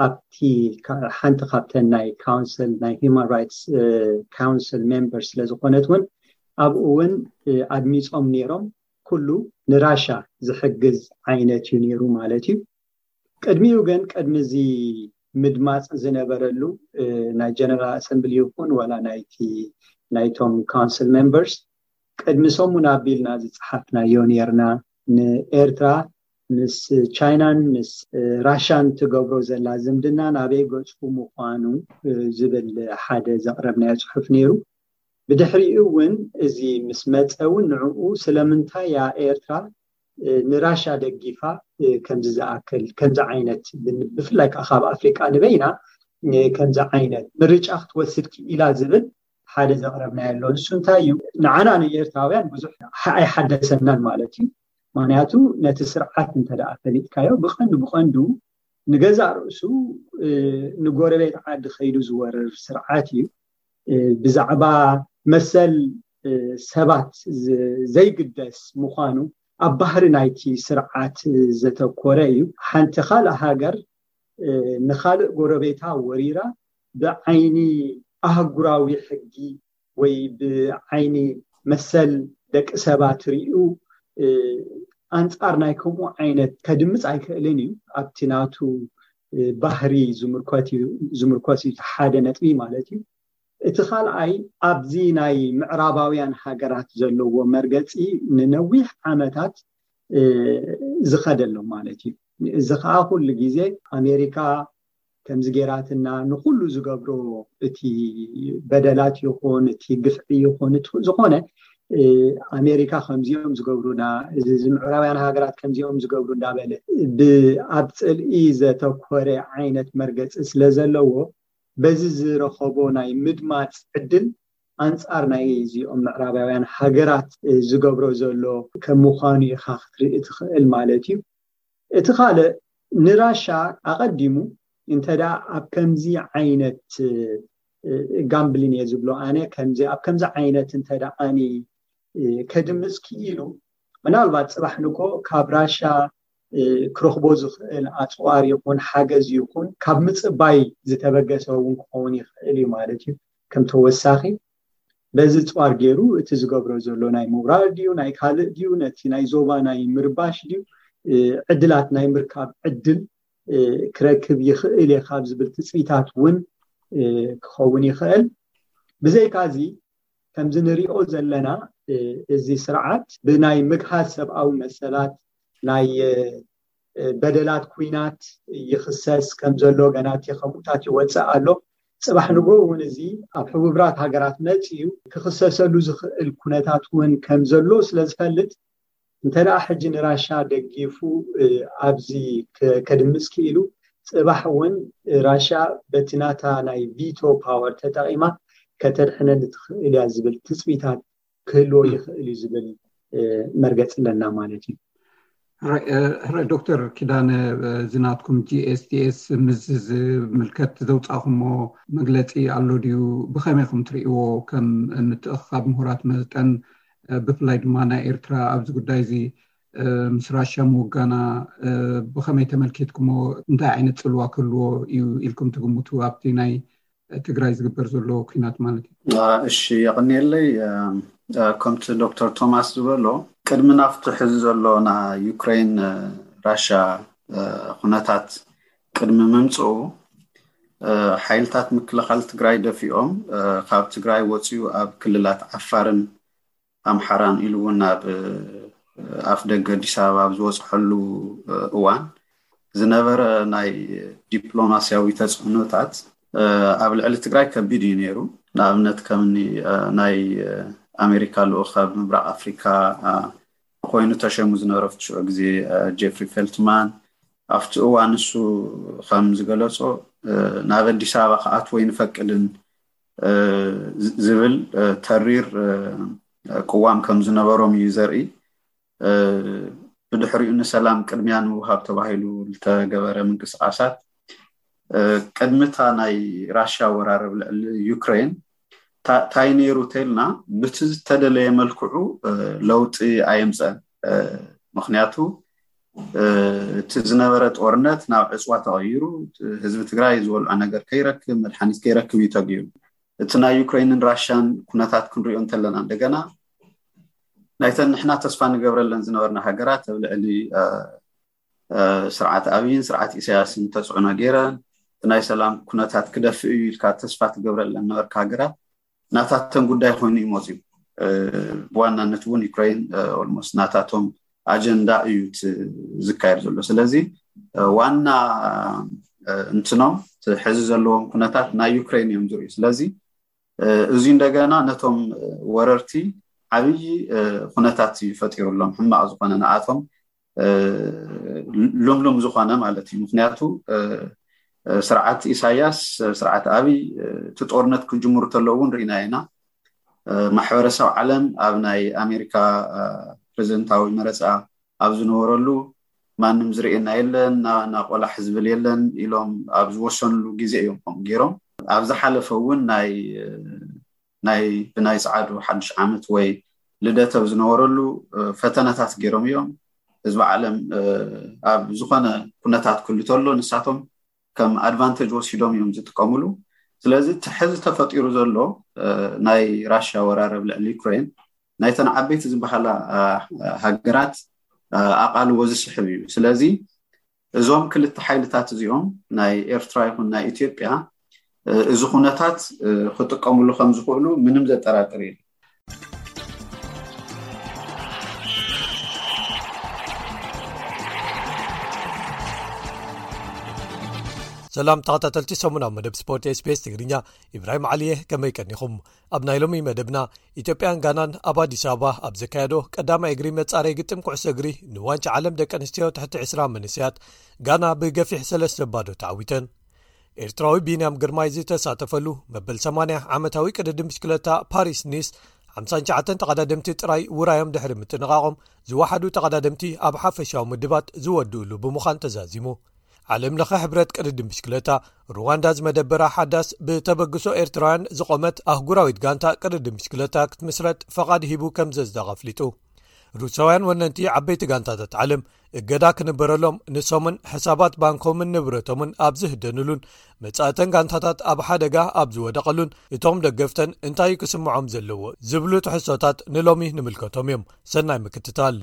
ኣብቲ ሓንቲ ካብተን ናይ ካውንስል ናይ ሂማን ራይትስ ካውንስል ሜምበር ስለዝኮነት እውን ኣብኡ እውን ኣድሚፆም ነይሮም። ኩሉ ንራሻ ዝሕግዝ ዓይነት እዩ ነይሩ ማለት እዩ። ቅድሚኡ ግን ቅድሚ እዚ ምድማፅ ዝነበረሉ ናይ ጀነራል ኣሰምብሊ ይኹን ዋላ ናይቲ ናይቶም ካውንስል ሜምበርስ ቅድሚ ሰሙን ኣቢልና ዝፀሓፍናዮ ነርና። ንኤርትራ ምስ ቻይናን ምስ ራሻን ትገብሮ ዘላ ዝምድና ናበይ ገፁ ምኳኑ ዝብል ሓደ ዘቕረብናዮ ፅሑፍ ነይሩ። ብድሕሪኡ እውን እዚ ምስ መፀ እውን ንዕኡ ስለምንታይ እያ ኤርትራ ንራሻ ደጊፋ ከምዚ ዝኣክል ከምዚ ዓይነት ብፍላይ ከዓ ካብ ኣፍሪቃ ንበይና ከምዚ ዓይነት ምርጫ ክትወስድ ክኢላ ዝብል ሓደ ዘቕረብናዮ ኣሎ። ንሱ እንታይ እዩ ንዓና ንኤርትራውያን ብዙሕ ኣይሓደሰናን ማለት እዩ። ምክንያቱ ነቲ ስርዓት እንተደኣ ፈሊጥካዮ ብቐንዱ ብቐንዱ ንገዛእ ርእሱ ንጎረቤት ዓዲ ከይዱ ዝወርር ስርዓት እዩ። ብዛዕባ መሰል ሰባት ዘይግደስ ምዃኑ ኣብ ባህሪ ናይቲ ስርዓት ዘተኮረ እዩ። ሓንቲ ካልእ ሃገር ንካልእ ጎረቤታ ወሪራ ብዓይኒ ኣህጉራዊ ሕጊ ወይ ብዓይኒ መሰል ደቂ ሰባት ሪኡ ኣንፃር ናይ ከምኡ ዓይነት ከድምፅ ኣይክእልን እዩ። ኣብቲ ናቱ ባህሪ ዝምርኮስ እዩ ሓደ ነጥቢ ማለት እዩ። እቲ ካልኣይ ኣብዚ ናይ ምዕራባውያን ሃገራት ዘለዎ መርገፂ ንነዊሕ ዓመታት ዝኸደሎ ማለት እዩ። እዚ ከዓ ኩሉ ግዜ ኣሜሪካ ከምዚ ጌራትና ንኩሉ ዝገብሮ እቲ በደላት ይኹን እቲ ግፍዒ ይኹን እቲ ዝኾነ ኣሜሪካ ከምዚኦም ዝገብሩና እዚ ምዕራብያን ሃገራት ከምዚኦም ዝገብሩ እንዳበለ ብኣብ ፅልኢ ዘተኮረ ዓይነት መርገፂ ስለ ዘለዎ በዚ ዝረኸቦ ናይ ምድማፅ ዕድል ኣንፃር ናይ እዚኦም ምዕራባውያን ሃገራት ዝገብሮ ዘሎ ከም ምዃኑ ኢኻ ክትርኢ ትኽእል ማለት እዩ። እቲ ካልእ ንራሻ ኣቐዲሙ እንተዳ ኣብ ከምዚ ዓይነት ጋምብሊን እየ ዝብሎ ኣነ ከምዚ ኣብ ከምዚ ዓይነት እንተዳ ኣኒ ከድምፅ ክኢሉ ምናልባት ፅባሕ ንኮ ካብ ራሻ ክረኽቦ ዝኽእል ኣፅዋር ይኹን ሓገዝ ይኹን ካብ ምፅባይ ዝተበገሰ እውን ክኸውን ይኽእል እዩ ማለት እዩ። ከም ተወሳኺ በዚ ፅዋር ገይሩ እቲ ዝገብሮ ዘሎ ናይ ምውራር ድዩ ናይ ካልእ ድዩ ነቲ ናይ ዞባ ናይ ምርባሽ ድዩ ዕድላት ናይ ምርካብ ዕድል ክረክብ ይኽእል እየ ካብ ዝብል ትፅቢታት እውን ክኸውን ይኽእል። ብዘይካዚ ከምዚ ንሪኦ ዘለና እዚ ስርዓት ብናይ ምግሃስ ሰብኣዊ መሰላት ናይ በደላት ኩናት ይኽሰስ ከም ዘሎ ገና እቲ ከምኡታት ይወፅእ ኣሎ። ፅባሕ ንጎ እውን እዚ ኣብ ሕቡብራት ሃገራት መፅኡ ክኽሰሰሉ ዝኽእል ኩነታት እውን ከም ዘሎ ስለ ዝፈልጥ እንተ ደኣ ሕጂ ንራሻ ደጊፉ ኣብዚ ከድምፅ ክኢሉ ፅባሕ እውን ራሻ በቲ ናታ ናይ ቪቶ ፓወር ተጠቒማ ከተድሕነኒ ትኽእል እያ ዝብል ትፅቢታት ክህልዎ ይኽእል እዩ ዝብል መርገፂ ኣለና ማለት እዩ። ሕራይ ዶክተር ኪዳነ፣ እዚ ናትኩም ጂኤስቲኤስ ምስ ዝምልከት ዘውፃእኩሞ መግለፂ ኣሎ ድዩ? ብኸመይ ኢኹም ትርእይዎ? ከም ምትእኽኻብ ምሁራት መጠን ብፍላይ ድማ ናይ ኤርትራ ኣብዚ ጉዳይ እዚ ምስ ራሽያ ምውጋና ብኸመይ ተመልኪትኩሞ? እንታይ ዓይነት ፅልዋ ክህልዎ እዩ ኢልኩም ትግምቱ ኣብቲ ናይ ትግራይ ዝግበር ዘሎ ኩናት ማለት እዩ? እሺ፣ የቐንየለይ። ከምቲ ዶክተር ቶማስ ዝበሎ ቅድሚ ናብቲ ሕዚ ዘሎ ናይ ዩክሬን ራሻ ኩነታት ቅድሚ ምምፅኡ ሓይልታት ምክልኻል ትግራይ ደፊኦም ካብ ትግራይ ወፂኡ ኣብ ክልላት ዓፋርን ኣምሓራን ኢሉ እውን ናብ ኣፍ ደገ ኣዲስ ኣበባ ኣብ ዝወፅሐሉ እዋን ዝነበረ ናይ ዲፕሎማስያዊ ተፅዕኖታት ኣብ ልዕሊ ትግራይ ከቢድ እዩ ነይሩ። ንኣብነት ከምኒ ናይ ኣሜሪካ ልኡኽ ኣብ ምብራቕ ኣፍሪካ ኮይኑ ተሸሙ ዝነበረ ኣብቲ ሽዑ ግዜ ጀፍሪ ፌልትማን ኣብቲ እዋን ንሱ ከም ዝገለፆ ናብ ኣዲስ ኣበባ ክኣትዎ ኣይንፈቅድን ዝብል ተሪር ቅዋም ከም ዝነበሮም እዩ ዘርኢ። ብድሕሪኡ ንሰላም ቅድሚያ ንምውሃብ ተባሂሉ ዝተገበረ ምንቅስቃሳት ቅድሚታ ናይ ራሽያ ወራር ኣብ ልዕሊ ዩክሬን እንታይ ነይሩ ተልና ብቲ ዝተደለየ መልክዑ ለውጢ ኣየምፀን። ምክንያቱ እቲ ዝነበረ ጦርነት ናብ ዕፅዋ ተቐይሩ ህዝቢ ትግራይ ዝበልዖ ነገር ከይረክብ መድሓኒት ከይረክብ እዩ ተገይሩ። እቲ ናይ ዩክሬንን ራሽያን ኩነታት ክንሪኦ እንተለና እንደገና ናይተን ንሕና ተስፋ ንገብረለን ዝነበርና ሃገራት ኣብ ልዕሊ ስርዓት ኣብይን ስርዓት ኢሳያስን ተፅዕኖ ገይረን እቲ ናይ ሰላም ኩነታት ክደፍእ እዩ ኢልካ ተስፋ ትገብረለን ነበርካ ሃገራት ናታተን ጉዳይ ኮይኑ እዩ መፅዩ። ብዋናነት እውን ዩክሬን ኦልሞስት ናታቶም ኣጀንዳ እዩ ዝካየድ ዘሎ። ስለዚ ዋና እንትኖም ሕዚ ዘለዎም ኩነታት ናይ ዩክሬን እዮም ዝርእዩ። ስለዚ እዚ እንደገና ነቶም ወረርቲ ዓብዪ ኩነታት እዩ ፈጢሩሎም፣ ሕማቕ ዝኾነ ንኣቶም ልምሉም ዝኾነ ማለት እዩ። ምክንያቱ ስርዓት ኢሳያስ ስርዓት ኣብይ እቲ ጦርነት ክጅምሩ ተለዉ እውን ርኢና ኢና። ማሕበረሰብ ዓለም ኣብ ናይ ኣሜሪካ ፕሬዚደንታዊ መረፃ ኣብ ዝነበረሉ ማንም ዝርእየና የለን፣ ናቆላሕ ዝብል የለን ኢሎም ኣብ ዝወሰኑሉ ግዜ እዮም ከምኡ ገይሮም። ኣብ ዝሓለፈ እውን ናይ ናይ ብናይ ፀዓዱ ሓዱሽ ዓመት ወይ ልደት ኣብ ዝነበረሉ ፈተነታት ገይሮም እዮም። ህዝቢ ዓለም ኣብ ዝኾነ ኩነታት ክህሉ ተሎ ንሳቶም ከም ኣድቫንቴጅ ወሲዶም እዮም ዝጥቀምሉ። ስለዚ እቲ ሕዚ ተፈጢሩ ዘሎ ናይ ራሽያ ወራር ኣብ ልዕሊ ዩክሬን ናይተን ዓበይቲ ዝበሃላ ሃገራት ኣቓልቦ ዝስሕብ እዩ። ስለዚ እዞም ክልተ ሓይልታት እዚኦም ናይ ኤርትራ ይኹን ናይ ኢትዮጵያ እዚ ኩነታት ክጥቀምሉ ከም ዝኽእሉ ምንም ዘጠራጥር እዩ። ሰላም ተኸታተልቲ ሰሙናዊ መደብ ስፖርት ኤስቢኤስ ትግርኛ፣ ኢብራሂም ዓሊየ፣ ከመይ ቀኒኹም? ኣብ ናይ ሎሚ መደብና፣ ኢትዮጵያን ጋናን ኣብ ኣዲስ ኣበባ ኣብ ዘካየዶ ቀዳማይ እግሪ መጻረይ ግጥም ኩዕሶ እግሪ ንዋንጫ ዓለም ደቂ ኣንስትዮ ትሕቲ ዕስራ መንእሰያት፣ ጋና ብገፊሕ ሰለስተ ባዶ ተዓዊተን። ኤርትራዊ ቢንያም ግርማይ ዝተሳተፈሉ መበል ሰማንያ ዓመታዊ ቅድድም ብሽክለታ ፓሪስ ኒስ፣ ሓምሳን ትሽዓተን ተቐዳደምቲ ጥራይ ውራዮም ድሕሪ ምጥንቓቖም፣ ዝወሓዱ ተቐዳደምቲ ኣብ ሓፈሻዊ ምድባት ዝወድኡሉ ብምዃን ተዛዚሙ። ዓለም ለኸ ሕብረት ቅድድም ብሽክለታ፣ ሩዋንዳ ዝመደበራ ሓዳስ ብተበግሶ ኤርትራውያን ዝቖመት ኣህጉራዊት ጋንታ ቅድድም ብሽክለታ ክትምስረት ፈቓድ ሂቡ ከም ዘዝደቐ ኣፍሊጡ። ሩሳውያን ወነንቲ ዓበይቲ ጋንታታት ዓለም እገዳ ክንበረሎም፣ ንሶምን ሕሳባት ባንኮምን ንብረቶምን ኣብ ዝህደንሉን፣ መጻእተን ጋንታታት ኣብ ሓደጋ ኣብ ዝወደቐሉን፣ እቶም ደገፍተን እንታይ ክስምዖም ዘለዎ ዝብሉ ትሕዝቶታት ንሎሚ ንምልከቶም እዮም። ሰናይ ምክትታል።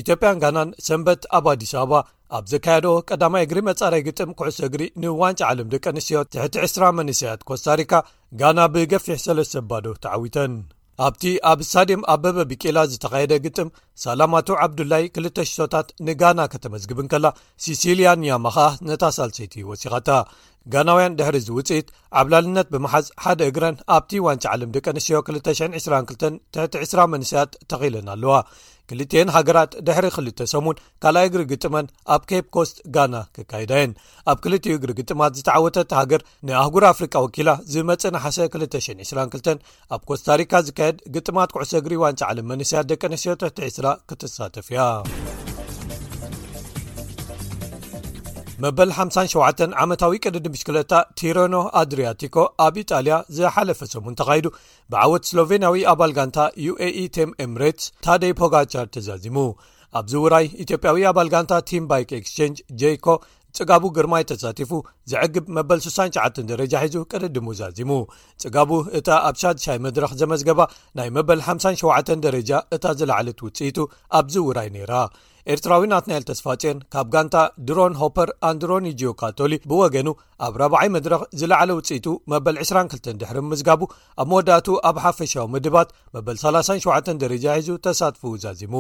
ኢትዮጵያን ጋናን ሰንበት ኣብ ኣዲስ ኣበባ ኣብ ዘካየዶ ቀዳማይ እግሪ መጻረይ ግጥም ኩዕሶ እግሪ ንዋንጫ ዓለም ደቂ ኣንስትዮ ትሕቲ ዕስራ መንእሰያት ኮስታሪካ፣ ጋና ብገፊሕ ሰለስተ ባዶ ተዓዊተን። ኣብቲ ኣብ ስታድየም ኣበበ ቢቂላ ዝተኻየደ ግጥም፣ ሳላማቱ ዓብዱላይ ክልተ ሽቶታት ንጋና ከተመዝግብ እንከላ፣ ሲሲልያ ኒያማ ኸኣ ነታ ሳልሰይቲ ወሲኻታ። ጋናውያን ድሕሪ እዚ ውጽኢት ዓብላልነት ብምሓዝ፣ ሓደ እግረን ኣብቲ ዋንጫ ዓለም ደቂ ኣንስትዮ ክልተ ሽሕን ዕስራን ክልተን ትሕቲ ዕስራ መንእሰያት ተኺለን ኣለዋ። ክልቲኤን ሃገራት ድሕሪ ክልተ ሰሙን ካልኣይ እግሪ ግጥመን ኣብ ኬፕ ኮስት ጋና ክካይዳ እየን። ኣብ ክልቲኡ እግሪ ግጥማት ዝተዓወተት ሃገር ንኣህጉር ኣፍሪቃ ወኪላ ዝመጽእ ነሓሰ ክልተ ሽሕን ዕስራን ክልተን ኣብ ኮስታሪካ ዝካየድ ግጥማት ኩዕሶ እግሪ ዋንጫ ዓለም መንእሰያት ደቂ ኣንስትዮ ትሕቲ ዕስራ ክትሳተፍ እያ። መበል ሓምሳን ሸውዓተን ዓመታዊ ቅድድም ብሽክለታ ቲረኖ ኣድሪያቲኮ ኣብ ኢጣልያ ዝሓለፈ ሰሙን ተኻይዱ፣ ብዓወት ስሎቬንያዊ ኣባል ጋንታ ዩኤኢ ቲም ኤምሬትስ ታደይ ፖጋቻር ተዛዚሙ። ኣብዚ ውራይ፣ ኢትዮጵያዊ ኣባል ጋንታ ቲም ባይክ ኤክስቼንጅ ጄይኮ ጽጋቡ ግርማይ ተሳቲፉ፣ ዘዕግብ መበል ስሳን ትሽዓተን ደረጃ ሒዙ ቅድድሙ ዛዚሙ። ጽጋቡ እታ ኣብ ሻድሻይ መድረኽ ዘመዝገባ ናይ መበል ሓምሳን ሸውዓተን ደረጃ እታ ዝለዓለት ውጽኢቱ ኣብዚ ውራይ ነይራ። ኤርትራዊ ናትናኤል ተስፋጽዮን ካብ ጋንታ ድሮን ሆፐር ኣንድሮኒጂዮ ካቶሊ ብወገኑ፣ ኣብ ራብዓይ መድረኽ ዝለዓለ ውጽኢቱ መበል ዕስራን ክልተን ድሕሪ ምዝጋቡ፣ ኣብ መወዳእቱ ኣብ ሓፈሻዊ ምድባት መበል ሰላሳን ሸውዓተን ደረጃ ሒዙ ተሳትፎኡ ዛዚሙ።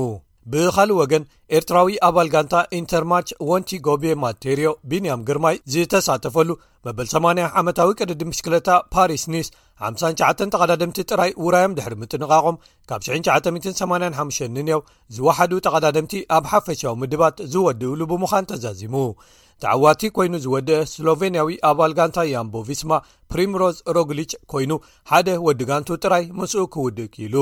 ብኻልእ ወገን፣ ኤርትራዊ ኣባል ጋንታ ኢንተርማርች ወንቲ ጎቤ ማቴርዮ ቢንያም ግርማይ ዝተሳተፈሉ መበል ሰማንያ ዓመታዊ ቅድድም ብሽክለታ ፓሪስ ኒስ፣ ሓምሳን ትሽዓተን ተቐዳደምቲ ጥራይ ውራዮም ድሕሪ ምጥንቓቖም፣ ካብ ሽሕን ትሽዓተ ሚእትን ሰማንያን ሓሙሽተን ንንየው ዝወሓዱ ተቐዳደምቲ ኣብ ሓፈሻዊ ምድባት ዝወድእሉ ብምዃን ተዛዚሙ። ተዓዋቲ ኮይኑ ዝወደአ ስሎቬንያዊ ኣባል ጋንታ ያምቦ ቪስማ ፕሪምሮዝ ሮግሊች ኮይኑ፣ ሓደ ወዲ ጋንቱ ጥራይ ምስኡ ክውድእ ክኢሉ።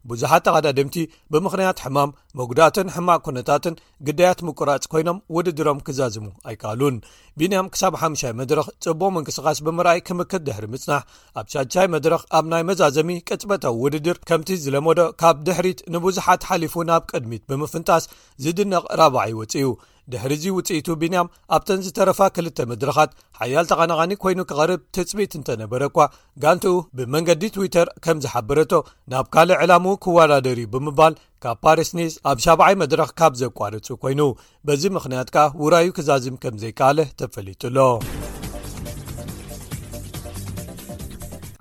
ብዙሓት ተቐዳደምቲ ብምኽንያት ሕማም፣ መጉዳእትን ሕማቕ ኩነታትን ግዳያት ምቁራጽ ኮይኖም ውድድሮም ክዛዝሙ ኣይከኣሉን። ቢንያም ክሳብ ሓምሻይ መድረኽ ጽቡቕ ምንቅስቓስ ብምርኣይ ክምክት ድሕሪ ምጽናሕ፣ ኣብ ሻድሻይ መድረኽ ኣብ ናይ መዛዘሚ ቅጽበታዊ ውድድር ከምቲ ዝለመዶ ካብ ድሕሪት ንብዙሓት ሓሊፉ ናብ ቅድሚት ብምፍንጣስ ዝድነቕ ራብዓይ ወጺኡ። ድሕሪዚ ውጽኢቱ ቢንያም ኣብተን ዝተረፋ ክልተ መድረኻት ሓያል ተቐናቓኒ ኮይኑ ክቐርብ ትጽቢት እንተነበረ እኳ፣ ጋንትኡ ብመንገዲ ትዊተር ከም ዝሓበረቶ፣ ናብ ካልእ ዕላምኡ ክወዳደር እዩ ብምባል ካብ ፓሪስ ኒስ ኣብ ሻብዓይ መድረኽ ካብ ዘቋርጹ ኮይኑ፣ በዚ ምኽንያት ከኣ ውራዩ ክዛዝም ከም ዘይከኣለ ተፈሊጡ ኣሎ።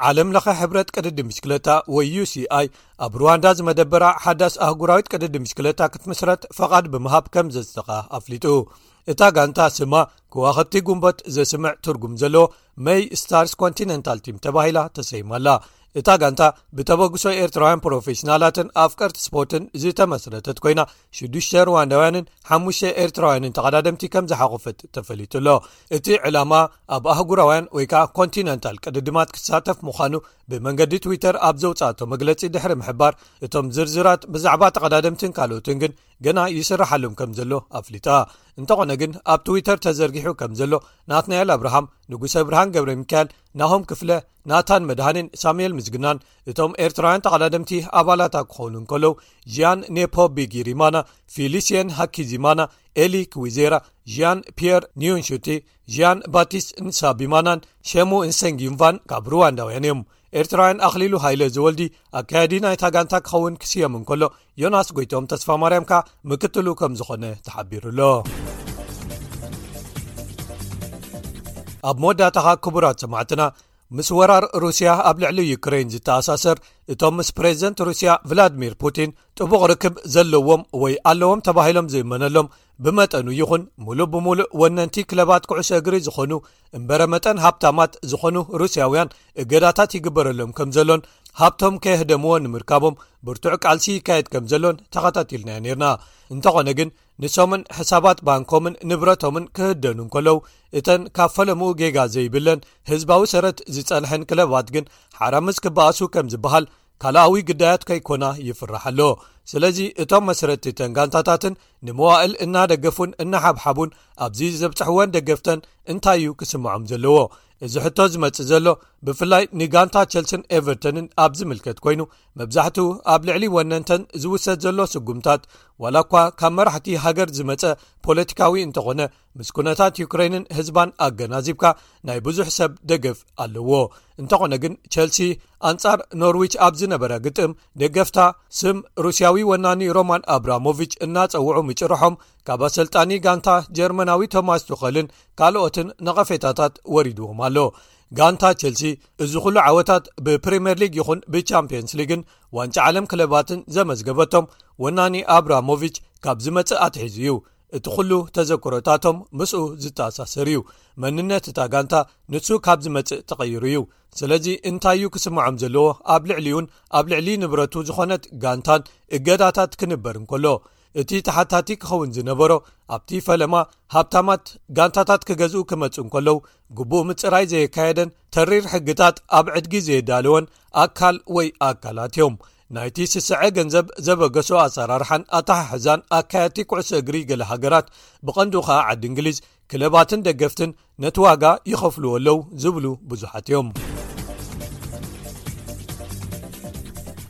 ዓለም ለኸ ሕብረት ቅድድም ብሽክለታ ወይ ዩሲኣይ ኣብ ሩዋንዳ ዝመደበራ ሓዳስ ኣህጉራዊት ቅድድም ብሽክለታ ክትምስረት ፈቓድ ብምሃብ ከም ዘጽደቓ ኣፍሊጡ። እታ ጋንታ ስማ ከዋኽብቲ ጉንበት ዘስምዕ ትርጉም ዘለዎ መይ ስታርስ ኮንቲነንታል ቲም ተባሂላ ተሰይማ ኣላ። እታ ጋንታ ብተበግሶ ኤርትራውያን ፕሮፌሽናላትን ኣፍቀርቲ ስፖርትን ዝተመስረተት ኮይና፣ ሽዱሽተ ሩዋንዳውያንን ሓሙሽተ ኤርትራውያንን ተቐዳደምቲ ከም ዝሓቖፈት ተፈሊጡ ኣሎ። እቲ ዕላማ ኣብ ኣህጉራውያን ወይ ከኣ ኮንቲነንታል ቅድድማት ክሳተፍ ምዃኑ ብመንገዲ ትዊተር ኣብ ዘውጻእቶ መግለጺ ድሕሪ ምሕባር፣ እቶም ዝርዝራት ብዛዕባ ተቐዳደምትን ካልኦትን ግን ገና ይስራሓሎም ከም ዘሎ ኣፍሊጣ። እንተኾነ ግን፣ ኣብ ትዊተር ተዘርጊሑ ከም ዘሎ፣ ናትናኤል ኣብርሃም፣ ንጉሰ ብርሃን ገብረ ሚካኤል፣ ናሆም ክፍለ፣ ናታን መድሃኔን ሳሙኤል ምስግናን እቶም ኤርትራውያን ተቐዳደምቲ ኣባላታ ክኾኑ እንከለዉ፣ žiያን ኔፖ ቢጊሪማና፣ ፊሊሲየን ሃኪዚማና፣ ኤሊ ክዊዜራ፣ žiያን ፒየር ኒዮንሹቲ፣ žiያን ባቲስት ንሳቢማናን ሸሙ እንሰንጊንቫን ካብ ሩዋንዳውያን እዮም። ኤርትራውያን ኣኽሊሉ ሃይለ ዝወልዲ ኣካያዲ ናይታ ጋንታ ክኸውን ክስየም እንከሎ፣ ዮናስ ጎይቶም ተስፋ ማርያም ከኣ ምክትሉ ከም ዝኾነ ተሓቢሩ ኣሎ። ኣብ መወዳእታኻ ክቡራት ሰማዕትና፣ ምስ ወራር ሩስያ ኣብ ልዕሊ ዩክሬን ዝተኣሳሰር፣ እቶም ምስ ፕሬዝደንት ሩስያ ቭላድሚር ፑቲን ጥቡቕ ርክብ ዘለዎም ወይ ኣለዎም ተባሂሎም ዝእመነሎም ብመጠኑ ይኹን ሙሉእ ብሙሉእ ወነንቲ ክለባት ኩዕሶ እግሪ ዝኾኑ እምበረ መጠን ሃብታማት ዝኾኑ ሩስያውያን እገዳታት ይግበረሎም ከም ዘሎን ሃብቶም ከየህደምዎ ንምርካቦም ብርቱዕ ቃልሲ ይካየድ ከም ዘሎን ተኸታቲልናዮ ነርና። እንተኾነ ግን ንሶምን ሕሳባት ባንኮምን ንብረቶምን ክህደኑ እንከለዉ እተን ካብ ፈለምኡ ጌጋ ዘይብለን ህዝባዊ ሰረት ዝጸንሐን ክለባት ግን ሓራምዝ ክበኣሱ ከም ዝበሃል ካልኣዊ ግዳያት ከይኮና ይፍራሕ ኣሎ። ስለዚ እቶም መስረትተን ጋንታታትን ንመዋእል እናደገፉን እናሓብሓቡን ኣብዚ ዘብጽሕወን ደገፍተን እንታይ እዩ ክስምዖም ዘለዎ? እዚ ሕቶ ዝመጽእ ዘሎ ብፍላይ ንጋንታ ቸልስን ኤቨርተንን ኣብ ዝምልከት ኮይኑ መብዛሕትኡ ኣብ ልዕሊ ወነንተን ዝውሰድ ዘሎ ስጉምታት ዋላ እኳ ካብ መራሕቲ ሃገር ዝመጸ ፖለቲካዊ እንተኾነ ምስ ኩነታት ዩክሬንን ህዝባን ኣገናዚብካ ናይ ብዙሕ ሰብ ደገፍ ኣለዎ። እንተኾነ ግን ቸልሲ ኣንጻር ኖርዊች ኣብ ዝነበረ ግጥም ደገፍታ ስም ሩስያዊ ወናኒ ሮማን ኣብራሞቪች እናጸውዑ ምጭርሖም ካብ ኣሰልጣኒ ጋንታ ጀርመናዊ ቶማስ ቱኸልን ካልኦትን ነቐፌታታት ወሪድዎም ኣሎ። ጋንታ ቸልሲ እዚ ኩሉ ዓወታት ብፕሪምየር ሊግ ይኹን ብቻምፒየንስ ሊግን ዋንጫ ዓለም ክለባትን ዘመዝገበቶም ወናኒ ኣብራሞቪች ካብ ዝመጽእ ኣትሒዙ እዩ። እቲ ኩሉ ተዘክሮታቶም ምስኡ ዝተኣሳሰር እዩ። መንነት እታ ጋንታ ንሱ ካብ ዝመጽእ ተቐይሩ እዩ። ስለዚ እንታይ እዩ ክስምዖም ዘለዎ? ኣብ ልዕሊኡን ኣብ ልዕሊ ንብረቱ ዝኾነት ጋንታን እገዳታት ክንበር እንከሎ እቲ ተሓታቲ ክኸውን ዝነበሮ ኣብቲ ፈለማ ሃብታማት ጋንታታት ክገዝኡ ክመጹ እንከለዉ ግቡእ ምጽራይ ዘየካየደን ተሪር ሕግታት ኣብ ዕድጊ ዘየዳለወን ኣካል ወይ ኣካላት እዮም። ናይቲ ስስዐ ገንዘብ ዘበገሶ ኣሰራርሓን ኣተሓሕዛን ኣካየድቲ ኩዕሶ እግሪ ገለ ሃገራት ብቐንዱ ኸኣ ዓዲ እንግሊዝ ክለባትን ደገፍትን ነቲ ዋጋ ይኸፍልዎ ኣለዉ ዝብሉ ብዙሓት እዮም።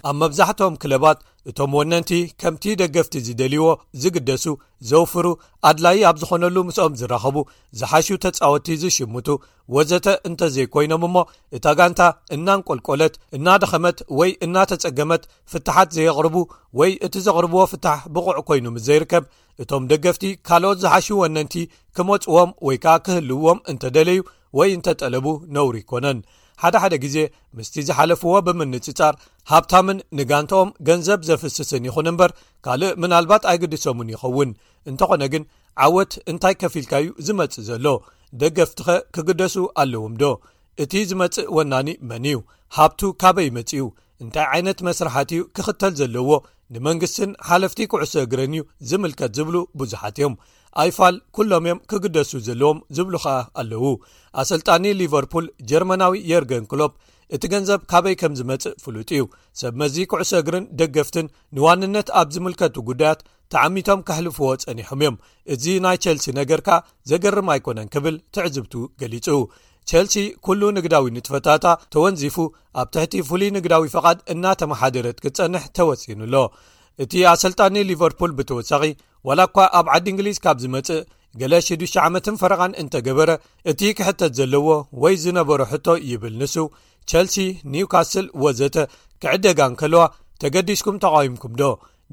ኣብ መብዛሕትኦም ክለባት እቶም ወነንቲ ከምቲ ደገፍቲ ዝደልይዎ ዝግደሱ ዘውፍሩ ኣድላይ ኣብ ዝኾነሉ ምስኦም ዝራኸቡ ዝሓሹ ተጻወቲ ዝሽምቱ ወዘተ እንተዘይኮይኖም እሞ እታ ጋንታ እናንቆልቆለት እናደኸመት ወይ እናተጸገመት ፍትሓት ዘየቕርቡ ወይ እቲ ዘቕርብዎ ፍታሕ ብቑዕ ኮይኑ ምስ ዘይርከብ እቶም ደገፍቲ ካልኦት ዝሓሹ ወነንቲ ክመጽዎም ወይ ከዓ ክህልዎም እንተደለዩ ወይ እንተጠለቡ ነውሪ ይኮነን። ሓደ ሓደ ግዜ ምስቲ ዝሓለፍዎ ብምንጽጻር ሃብታምን ንጋንታኦም ገንዘብ ዘፍስስን ይኹን እምበር ካልእ ምናልባት ኣይግድሶምን ይኸውን። እንተኾነ ግን ዓወት እንታይ ከፊልካዩ ዝመጽእ ዘሎ? ደገፍትኸ ክግደሱ ኣለዎም ዶ? እቲ ዝመጽእ ወናኒ መን እዩ? ሃብቱ ካበይ መጽኡ? እንታይ ዓይነት መስርሓት እዩ ክኽተል ዘለዎ? ንመንግስትን ሓለፍቲ ኩዕሶ እግርን እዩ ዝምልከት ዝብሉ ብዙሓት እዮም። ኣይፋል ኩሎም እዮም ክግደሱ ዘለዎም ዝብሉ ኸኣ ኣለዉ። ኣሰልጣኒ ሊቨርፑል ጀርመናዊ የርገን ክሎፕ እቲ ገንዘብ ካበይ ከም ዝመጽእ ፍሉጥ እዩ። ሰብ መዚ ኩዕሶ እግርን ደገፍትን ንዋንነት ኣብ ዝምልከቱ ጉዳያት ተዓሚቶም ከሕልፍዎ ጸኒሖም እዮም። እዚ ናይ ቸልሲ ነገርካ ዘገርም ኣይኮነን ክብል ትዕዝብቱ ገሊጹ። ቸልሲ ኩሉ ንግዳዊ ንጥፈታታ ተወንዚፉ ኣብ ትሕቲ ፍሉይ ንግዳዊ ፈቓድ እናተመሓደረት ክትጸንሕ ተወሲኑ ኣሎ። እቲ ኣሰልጣኒ ሊቨርፑል ብተወሳኺ ዋላ እኳ ኣብ ዓዲ እንግሊዝ ካብ ዝመጽእ ገለ ሽዱሽተ ዓመትን ፈረቓን እንተገበረ እቲ ክሕተት ዘለዎ ወይ ዝነበሮ ሕቶ ይብል ንሱ ቸልሲ፣ ኒውካስል ወዘተ ክዕደጋ እንከለዋ ተገዲስኩም ተቓዊምኩም ዶ?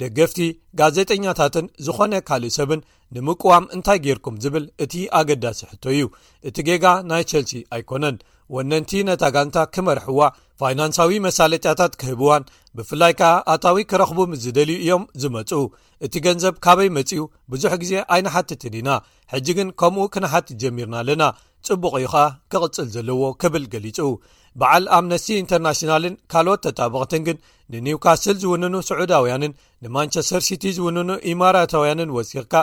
ደገፍቲ፣ ጋዜጠኛታትን ዝኾነ ካልእ ሰብን ንምቅዋም እንታይ ጌርኩም ዝብል እቲ ኣገዳሲ ሕቶ እዩ። እቲ ጌጋ ናይ ቸልሲ ኣይኮነን። ወነንቲ ነታ ጋንታ ክመርሕዋ፣ ፋይናንሳዊ መሳለጥያታት ክህብዋን ብፍላይ ከኣ ኣታዊ ክረኽቡ ምስ ዝደልዩ እዮም ዝመጹ። እቲ ገንዘብ ካበይ መጺኡ ብዙሕ ግዜ ኣይንሓትትን ኢና። ሕጂ ግን ከምኡ ክንሓትት ጀሚርና ኣለና። ጽቡቕ እዩ ኸኣ ክቕጽል ዘለዎ ክብል ገሊጹ። በዓል ኣምነስቲ ኢንተርናሽናልን ካልኦት ተጣበቕትን ግን ንኒውካስል ዝውንኑ ስዑዳውያንን ንማንቸስተር ሲቲ ዝውንኑ ኢማራታውያንን ወሲኽካ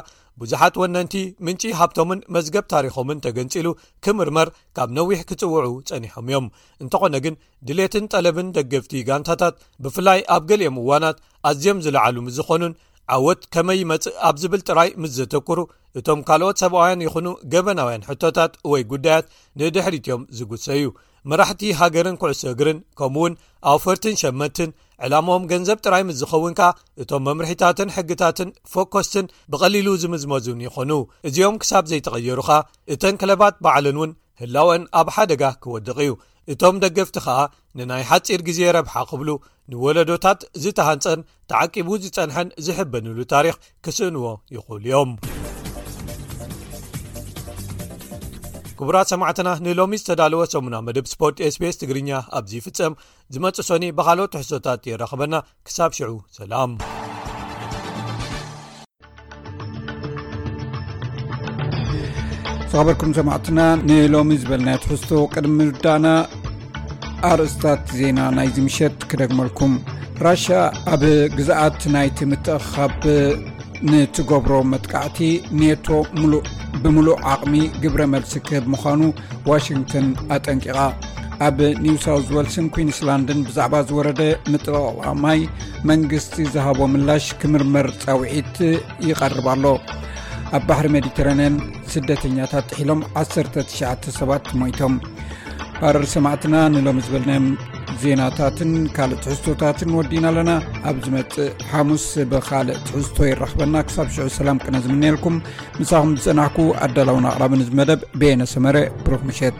ብዙሓት ወነንቲ ምንጪ ሃብቶምን መዝገብ ታሪኾምን ተገንጺሉ ክምርመር ካብ ነዊሕ ክጽውዑ ጸኒሖም እዮም። እንተኾነ ግን ድሌትን ጠለብን ደገፍቲ ጋንታታት ብፍላይ ኣብ ገሊኦም እዋናት ኣዝዮም ዝለዓሉ ምስ ዝኾኑን ዓወት ከመይ ይመጽእ ኣብ ዝብል ጥራይ ምስ ዘተኩሩ እቶም ካልኦት ሰብኣውያን ይኹኑ ገበናውያን ሕቶታት ወይ ጉዳያት ንድሕሪት እዮም ዝጉሰዩ። መራሕቲ ሃገርን ኩዕሶ እግርን ከምኡውን ኣውፈርትን ሸመትን ዕላማኦም ገንዘብ ጥራይ ምስ ዝኸውን ከኣ እቶም መምርሒታትን ሕግታትን ፎኮስትን ብቐሊሉ ዝምዝመዙን ይኾኑ። እዚኦም ክሳብ ዘይተቐየሩ ኸኣ እተን ክለባት ባዕለን እውን ህላወን ኣብ ሓደጋ ክወድቕ እዩ። እቶም ደገፍቲ ኸኣ ንናይ ሓጺር ግዜ ረብሓ ክብሉ ንወለዶታት ዝተሃንጸን ተዓቂቡ ዝጸንሐን ዝሕበንሉ ታሪኽ ክስእንዎ ይኽእሉ እዮም። ክቡራት ሰማዕትና ንሎሚ ዝተዳለወ ሰሙና መደብ ስፖርት ኤስቢኤስ ትግርኛ ኣብዚ ይፍጸም። ዝመጽእ ሶኒ ብኻልኦት ትሕዝቶታት የራኽበና። ክሳብ ሽዑ ሰላም። ዝኸበርኩም ሰማዕትና፣ ንሎሚ ዝበልናዮ ትሕዝቶ ቅድሚ ምርዳእና፣ ኣርእስታት ዜና ናይዚ ምሸት ክደግመልኩም። ራሻ ኣብ ግዝኣት ናይቲ ምትእኻብ ንትገብሮ መጥቃዕቲ፣ ኔቶ ብምሉእ ዓቕሚ ግብረ መልሲ ክህብ ምዃኑ ዋሽንግተን ኣጠንቂቓ። ኣብ ኒው ሳውዝ ዌልስን ኩዊንስላንድን ብዛዕባ ዝወረደ ምጥቕላቕ ማይ መንግስቲ ዝሃቦ ምላሽ ክምርመር ጻውዒት ይቐርብ ኣሎ። ኣብ ባሕሪ ሜዲተራንያን ስደተኛታት ጥሒሎም ዓሰርተ ትሽዓተ ሰባት ሞይቶም። ባረር ሰማዕትና፣ ንሎሚ ዝበልናዮም ዜናታትን ካልእ ትሕዝቶታትን ወዲና ኣለና። ኣብ ዝመጽእ ሓሙስ ብኻልእ ትሕዝቶ ይራኽበና። ክሳብ ሽዑ ሰላም ቅነ ዝምነየልኩም። ምሳኹም ዝጸናሕኩ ኣዳላውን ኣቕራብን እዚ መደብ በየነ ሰመረ። ብሩኽ ምሸት።